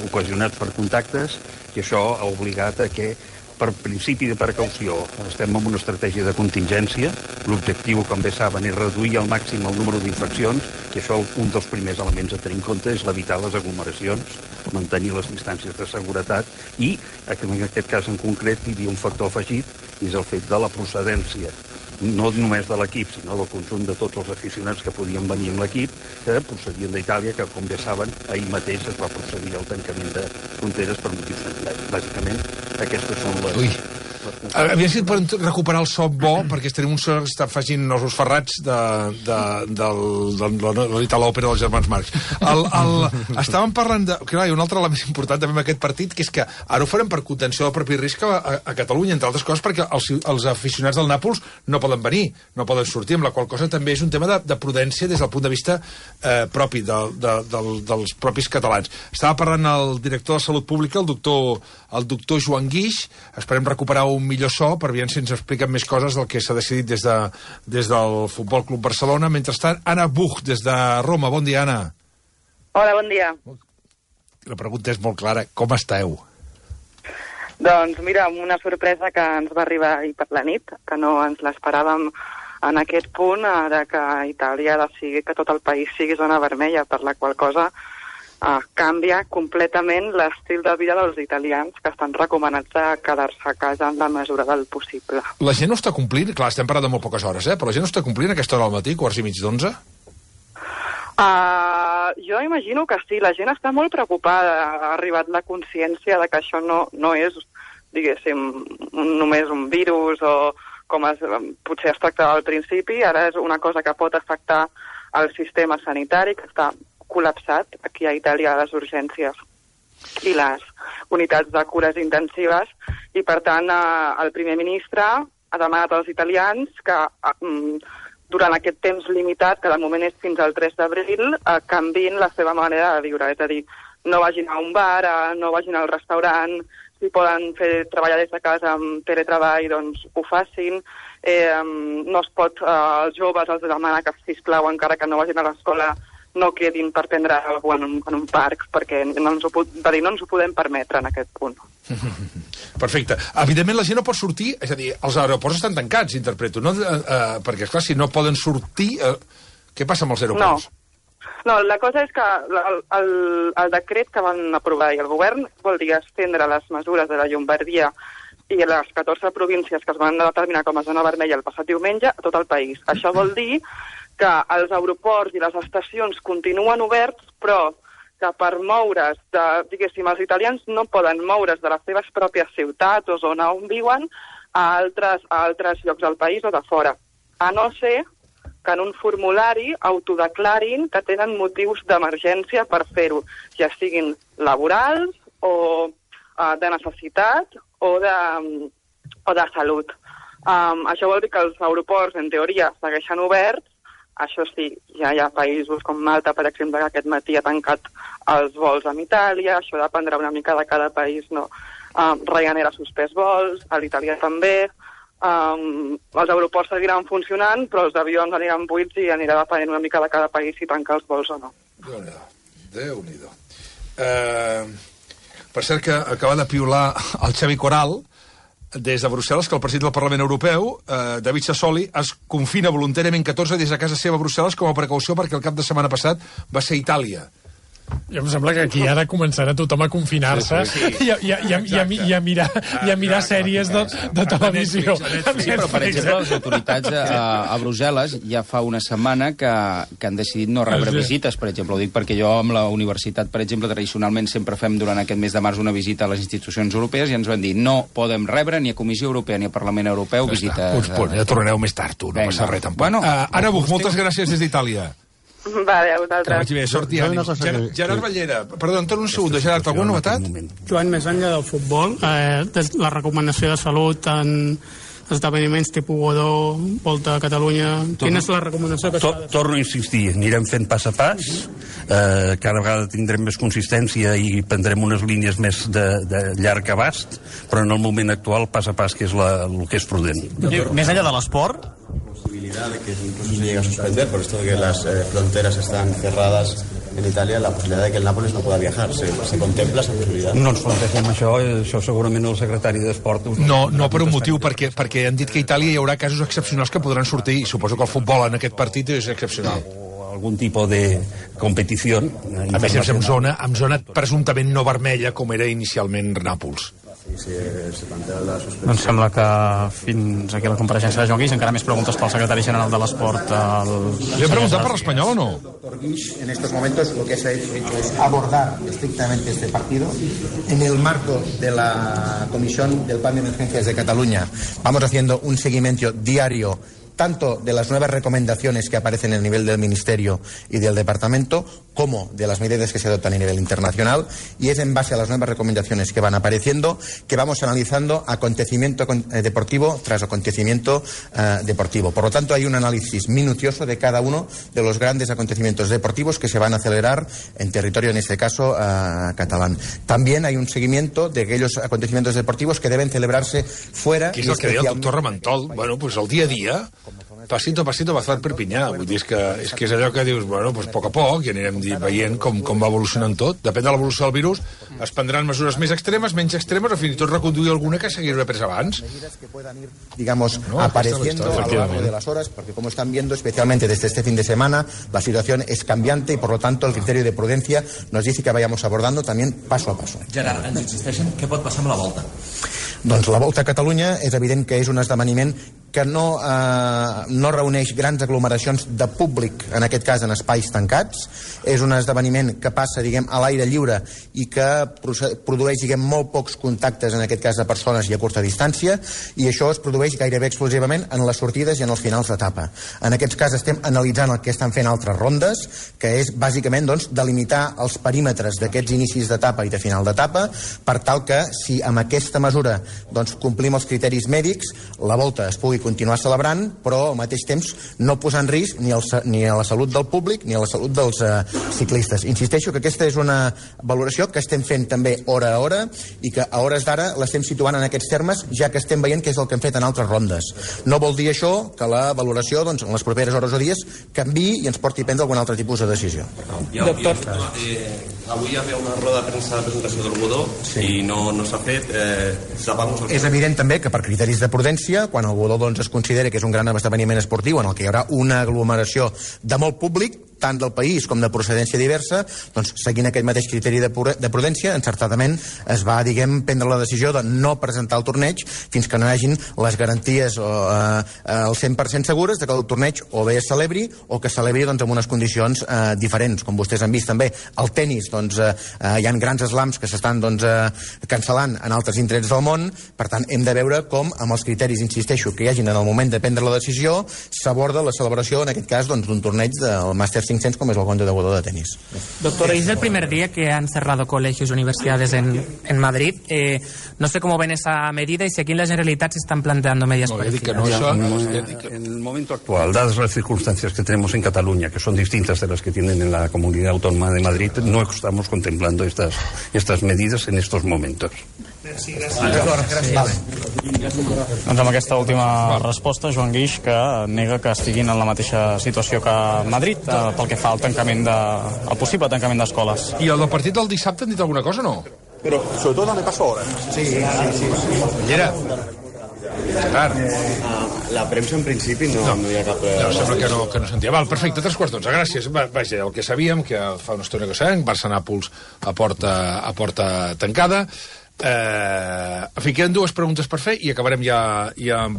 Speaker 23: ocasionats per contactes, i això ha obligat a que, per principi de precaució, estem en una estratègia de contingència. L'objectiu, com bé saben, és reduir al màxim el número d'infeccions, i això un dels primers elements a tenir en compte és evitar les aglomeracions, mantenir les distàncies de seguretat, i en aquest cas en concret hi havia un factor afegit, i és el fet de la procedència, no només de l'equip, sinó del conjunt de tots els aficionats que podien venir amb l'equip, que procedien d'Itàlia, que, com bé saben, ahir mateix es va procedir al tancament de fronteres per motius sanitaris. Bàsicament, aquestes són les...
Speaker 2: Aviam si poden recuperar el so bo, perquè tenim un so que està afegint els ferrats de l'òpera dels germans Marx. Estàvem parlant de... Clar, hi ha un altre element important també amb aquest partit, que és que ara ho farem per contenció del propi risc a Catalunya, entre altres coses perquè els aficionats del Nàpols no poden venir, no poden sortir, amb la qual cosa també és un tema de prudència des del punt de vista propi dels propis catalans. Estava parlant el director de Salut Pública, el doctor Joan Guix. Esperem recuperar un millor so per veure si ens expliquen més coses del que s'ha decidit des del Futbol Club Barcelona. Mentrestant, Anna Buch, des de Roma. Bon dia, Anna.
Speaker 9: Hola, bon dia.
Speaker 2: La pregunta és molt clara. Com esteu?
Speaker 9: Doncs mira, una sorpresa que ens va arribar ahir per la nit, que no ens l'esperàvem en aquest punt, de que Itàlia decidí que tot el país sigui zona vermella, per la qual cosa canvia completament l'estil de vida dels italians, que estan recomanats a quedar-se a casa en la mesura del possible.
Speaker 2: La gent no està complint? Clar, estem parlant de molt poques hores, però la gent no està complint a aquesta hora al matí, 11:45?
Speaker 9: Jo imagino que sí, la gent està molt preocupada, ha arribat la consciència de que això no és, diguéssim, només un virus o com potser es tractava al principi, ara és una cosa que pot afectar el sistema sanitari, que està col·lapsat aquí a Itàlia, a les urgències i les unitats de cures intensives, i per tant el primer ministre ha demanat als italians que durant aquest temps limitat, que de moment és fins al 3 d'abril, canviïn la seva manera de viure, és a dir, no vagin a un bar, no vagin al restaurant, si poden treballar des de casa amb teletreball, doncs ho facin. No es pot, als joves els demana que, sisplau, encara que no vagin a l'escola, no quedin per prendre alguna cosa en un parc, perquè no ens ho podem permetre en aquest punt.
Speaker 2: Perfecte. Evidentment la gent no pot sortir, és a dir, els aeroports estan tancats, interpreto, no? Perquè, esclar, si no poden sortir, què passa amb els aeroports?
Speaker 9: No, la cosa és que el decret que van aprovar i el govern vol dir estendre les mesures de la Llombardia i les 14 províncies que es van determinar com a zona vermella el passat diumenge a tot el país. Això vol dir que els aeroports i les estacions continuen oberts, però que per moure's, diguéssim, els italians no poden moure's de les seves pròpies ciutats o zona on viuen a altres llocs del país o de fora, a no ser que en un formulari autodeclarin que tenen motius d'emergència per fer-ho, ja siguin laborals o de necessitat o de salut. Això vol dir que els aeroports, en teoria, segueixen oberts. Això sí, ja hi ha països com Malta, per exemple, que aquest matí ha tancat els vols amb Itàlia, això dependrà una mica de cada país, no? Ryanair ha suspès vols, a l'Itàlia també, els aeroports seguiran funcionant, però els avions aniran buits i anirà depenent una mica de cada país si tanca els vols o no.
Speaker 2: Déu-n'hi-do. Per cert, que acaba de piular el Xavi Coral, des de Brussel·les, que el president del Parlament Europeu, David Sassoli, es confina voluntàriament 14 des de casa seva a Brussel·les com a precaució perquè el cap de setmana passat va ser a Itàlia.
Speaker 4: Jo em sembla que aquí ara començarà tothom a confinar-se i a mirar sèries de televisió.
Speaker 7: Sí, però per exemple les autoritats a Brussel·les ja fa una setmana que han decidit no rebre visites, per exemple. Ho dic perquè jo amb la universitat, per exemple, tradicionalment sempre fem durant aquest mes de març una visita a les institucions europees i ens van dir no podem rebre ni a Comissió Europea ni a Parlament Europeu visites.
Speaker 2: Ja tornareu més tard, tu, no passa res tampoc. Anna Buch, moltes gràcies des d'Itàlia.
Speaker 9: Vale, a vosaltres.
Speaker 2: Que vagi bé, sort i ànims. Gerard Ballera, perdó, em torno un segon. Gerard, alguna novetat?
Speaker 10: Joan, més enllà del futbol, la recomanació de salut en esdeveniments tipus Godó, Volta a Catalunya, quina és la recomanació que s'ha de fer?
Speaker 23: Torno a insistir, anirem fent pas a pas, cada vegada tindrem més consistència i prendrem unes línies més de llarg abast, però en el moment actual pas a pas, que és el que és prudent.
Speaker 15: Més enllà de l'esport,
Speaker 11: posibilidad de que incluso se llegue a suspender por esto de que las fronteras están cerradas en Italia, la posibilidad de que el Nápoles no pueda viajar. ¿Se contempla esa posibilidad?
Speaker 23: No ens plantegem això segurament el secretari d'Esport...
Speaker 2: No per un motiu, perquè han dit que a Itàlia hi haurà casos excepcionals que podran sortir, i suposo que el futbol en aquest partit és excepcional.
Speaker 23: Algun tipus de competició.
Speaker 2: A més, en zona presumptament no vermella, com era inicialment Nàpols.
Speaker 15: Doncs sembla que fins aquí la compareixença de Joan Guix. Encara més preguntes pel secretari general de l'Esport.
Speaker 2: ¿Le he preguntado por español o no?
Speaker 24: Doctor Guix, en estos momentos lo que se ha hecho es abordar estrictamente este partido en el marco de la Comisión del Plan de Emergencias de Cataluña. Vamos haciendo un seguimiento diario tanto de las nuevas recomendaciones que aparecen a nivel del Ministerio y del Departamento, como de las medidas que se adoptan a nivel internacional, y es en base a las nuevas recomendaciones que van apareciendo que vamos analizando acontecimiento deportivo tras acontecimiento deportivo. Por lo tanto, hay un análisis minucioso de cada uno de los grandes acontecimientos deportivos que se van a celebrar en territorio, en este caso, catalán. También hay un seguimiento de aquellos acontecimientos deportivos que deben celebrarse fuera.
Speaker 2: Que és el que deia el doctor Ramentol. Bueno, pues el dia a dia, pasito a pasito va a Perpinyà. Vull dir, és que és allò que dius, bueno, pues a poc, i anirem veient com va evolucionant tot. Depèn de l'evolució del virus, es prendran mesures més extremes, menys extremes, o fins i tot reconduir alguna que s'hauria pres abans.
Speaker 24: Digamos, apareciendo a lo largo de las horas, porque como están viendo, especialmente desde este fin de semana, la situación es cambiante y por lo tanto el criterio de prudencia nos dice que vayamos abordando también paso a paso.
Speaker 12: Gerard, ens insisteixen, què pot passar amb la Volta?
Speaker 24: Doncs la Volta a Catalunya és evident que és un esdeveniment que no reuneix grans aglomeracions de públic, en aquest cas en espais tancats. És un esdeveniment que passa, diguem, a l'aire lliure i que produeix, diguem, molt pocs contactes, en aquest cas de persones i a curta distància, i això es produeix gairebé exclusivament en les sortides i en els finals d'etapa. En aquests cas estem analitzant el que estan fent altres rondes, que és bàsicament, doncs, delimitar els perímetres d'aquests inicis d'etapa i de final d'etapa, per tal que, si amb aquesta mesura doncs, complim els criteris mèdics, la Volta es pugui continuar celebrant, però al mateix temps no posar en risc ni a la salut del públic ni a la salut dels ciclistes. Insisteixo que aquesta és una valoració que estem fent també hora a hora i que a hores d'ara l'estem situant en aquests termes, ja que estem veient que és el que hem fet en altres rondes. No vol dir això que la valoració, doncs, en les properes hores o dies canviï i ens porti a prendre algun altre tipus de decisió.
Speaker 12: Doctor, avui hi havia una roda de premsa de presentació del Godó i no s'ha fet.
Speaker 24: És evident també que per criteris de prudència, quan el Godó es considera que és un gran esdeveniment esportiu en el que hi haurà una aglomeració de molt públic, tant del país com de procedència diversa, doncs seguint aquest mateix criteri de prudència, encertadament es va, diguem, prendre la decisió de no presentar el torneig fins que no hi hagin les garanties al 100% segures de que el torneig o bé es celebri o que es celebri, doncs, en unes condicions diferents. Com vostès han vist també, el tennis, doncs, hi ha grans slams que s'estan, doncs, cancel·lant en altres indrets del món. Per tant, hem de veure com, amb els criteris, insisteixo, que hi hagin en el moment de prendre la decisió, s'aborda la celebració, en aquest cas, doncs, d'un torneig del Màster 500 como es el Conde de Godó de tenis.
Speaker 13: Doctor, es el primer día que han cerrado colegios y universidades en Madrid. No sé cómo ven esa medida y si aquí en la Generalitat se están planteando medidas parecidas.
Speaker 23: En el momento actual, dadas las circunstancias que tenemos en Cataluña, que son distintas de las que tienen en la Comunidad Autónoma de Madrid, no estamos contemplando estas medidas en estos momentos.
Speaker 15: Doncs amb aquesta última resposta, Joan Guix, que nega que estiguin en la mateixa situació que Madrid pel que fa al tancament al possible tancament d'escoles.
Speaker 2: I el del partit del dissabte han dit alguna cosa o no?
Speaker 14: Però sobretot dame paso ahora.
Speaker 24: Sí.
Speaker 2: Llera.
Speaker 14: La premsa en principi no hi ha cap...
Speaker 2: No, sembla que no sentia. Val, perfecte, 3/4. Gràcies. Vaja, el que sabíem, que fa una estona que sabem, Barça-Nàpols a porta tancada. En fi, queden dues preguntes per fer i acabarem ja amb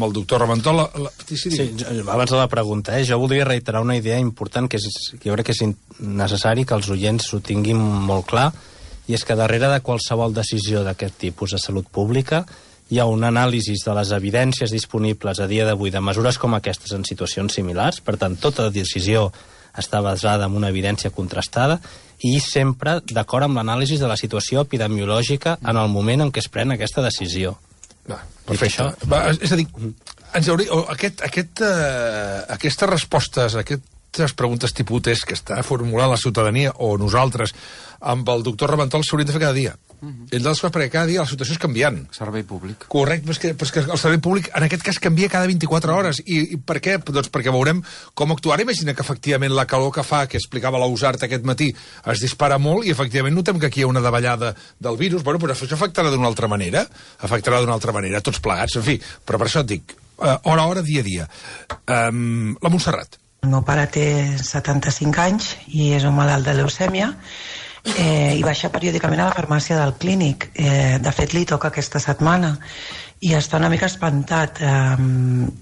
Speaker 2: el doctor Ramentol.
Speaker 3: Sí, abans de la pregunta, jo voldria reiterar una idea important que jo crec que és necessari que els oients ho tinguin molt clar, i és que darrere de qualsevol decisió d'aquest tipus de salut pública hi ha un anàlisi de les evidències disponibles a dia d'avui de mesures com aquestes en situacions similars. Per tant, tota decisió està basada en una evidència contrastada i sempre d'acord amb l'anàlisi de la situació epidemiològica en el moment en què es pren aquesta decisió.
Speaker 2: Perfecte. És a dir, aquestes respostes, aquestes preguntes tipus test que està formulant la ciutadania o nosaltres amb el doctor Ramentol s'haurien de fer cada dia. Ell de les coses, perquè cada dia la situació és canviant.
Speaker 7: Servei públic.
Speaker 2: Correcte, però és que el servei públic en aquest cas canvia cada 24 hores. I per què? Doncs perquè veurem com actuar. Imagina que efectivament la calor que fa, que explicava l'Ausart aquest matí, es dispara molt i efectivament notem que aquí hi ha una davallada del virus. Bueno, però això afectarà d'una altra manera. Tots plegats, en fi. Però per això et dic, hora a hora, dia a dia. La Montserrat.
Speaker 18: El meu pare té 75 anys i és un malalt de leucèmia i baixa periòdicament a la farmàcia del clínic. De fet, li toca aquesta setmana i està una mica espantat.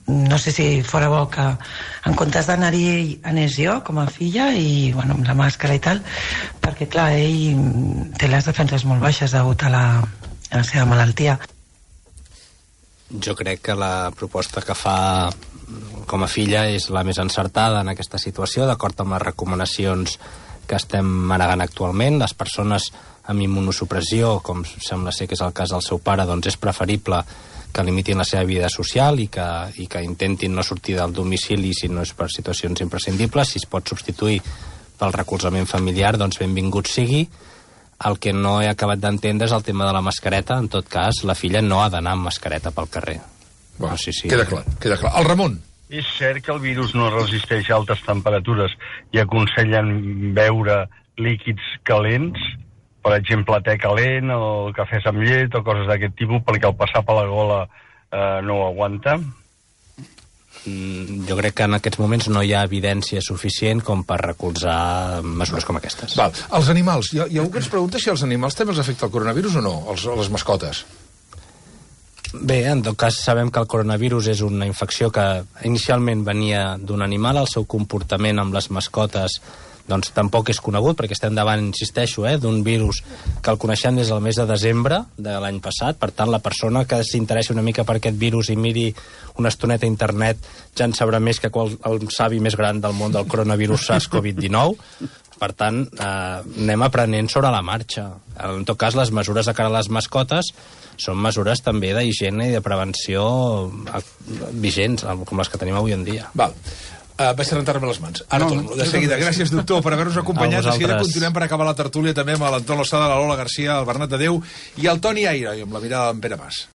Speaker 18: No sé si fora bo que en comptes d'anar-hi ell anés jo com a filla i bueno, amb la màscara i tal, perquè clar, ell té les defenses molt baixes degut a la seva malaltia.
Speaker 3: Jo crec que la proposta que fa com a filla és la més encertada en aquesta situació, d'acord amb les recomanacions que estem manegant actualment. Les persones amb immunosupressió, com sembla ser que és el cas del seu pare, doncs és preferible que limitin la seva vida social i que intentin no sortir del domicili si no és per situacions imprescindibles. Si es pot substituir pel recolzament familiar, doncs benvingut sigui. El que no he acabat d'entendre és el tema de la mascareta. En tot cas, la filla no ha d'anar amb mascareta pel carrer.
Speaker 2: No sé si... Queda clar. El Ramon.
Speaker 5: És cert que el virus no resisteix a altes temperatures i aconsellen beure líquids calents, per exemple, te calent o cafès amb llet o coses d'aquest tipus, perquè al passar per la gola no ho aguanta?
Speaker 3: Jo crec que en aquests moments no hi ha evidència suficient com per recolzar mesures com aquestes.
Speaker 2: Val. Els animals. Hi ha algú que ens pregunta si als animals també els afecta el coronavirus o no, les mascotes.
Speaker 3: Bé, en tot cas sabem que el coronavirus és una infecció que inicialment venia d'un animal. El seu comportament amb les mascotes doncs tampoc és conegut, perquè estem davant, insisteixo, d'un virus que el coneixem des del mes de desembre de l'any passat. Per tant, la persona que s'interessi una mica per aquest virus i miri una estoneta a internet ja en sabrà més que el savi més gran del món del coronavirus SARS-CoV-19. Per tant, anem aprenent sobre la marxa. En tot cas, les mesures de cara a les mascotes són mesures també d'higiene i de prevenció vigents, com les que tenim avui en dia.
Speaker 2: Val. Vaig a rentar-me les mans. Ara torno, de seguida. Gràcies, doctor, per haver-nos acompanyat. De seguida continuem per acabar la tertúlia també amb l'Anton Losada, la Lola Garcia, el Bernat de Déu i el Toni Aire, i amb la mirada d'en Pere Mas.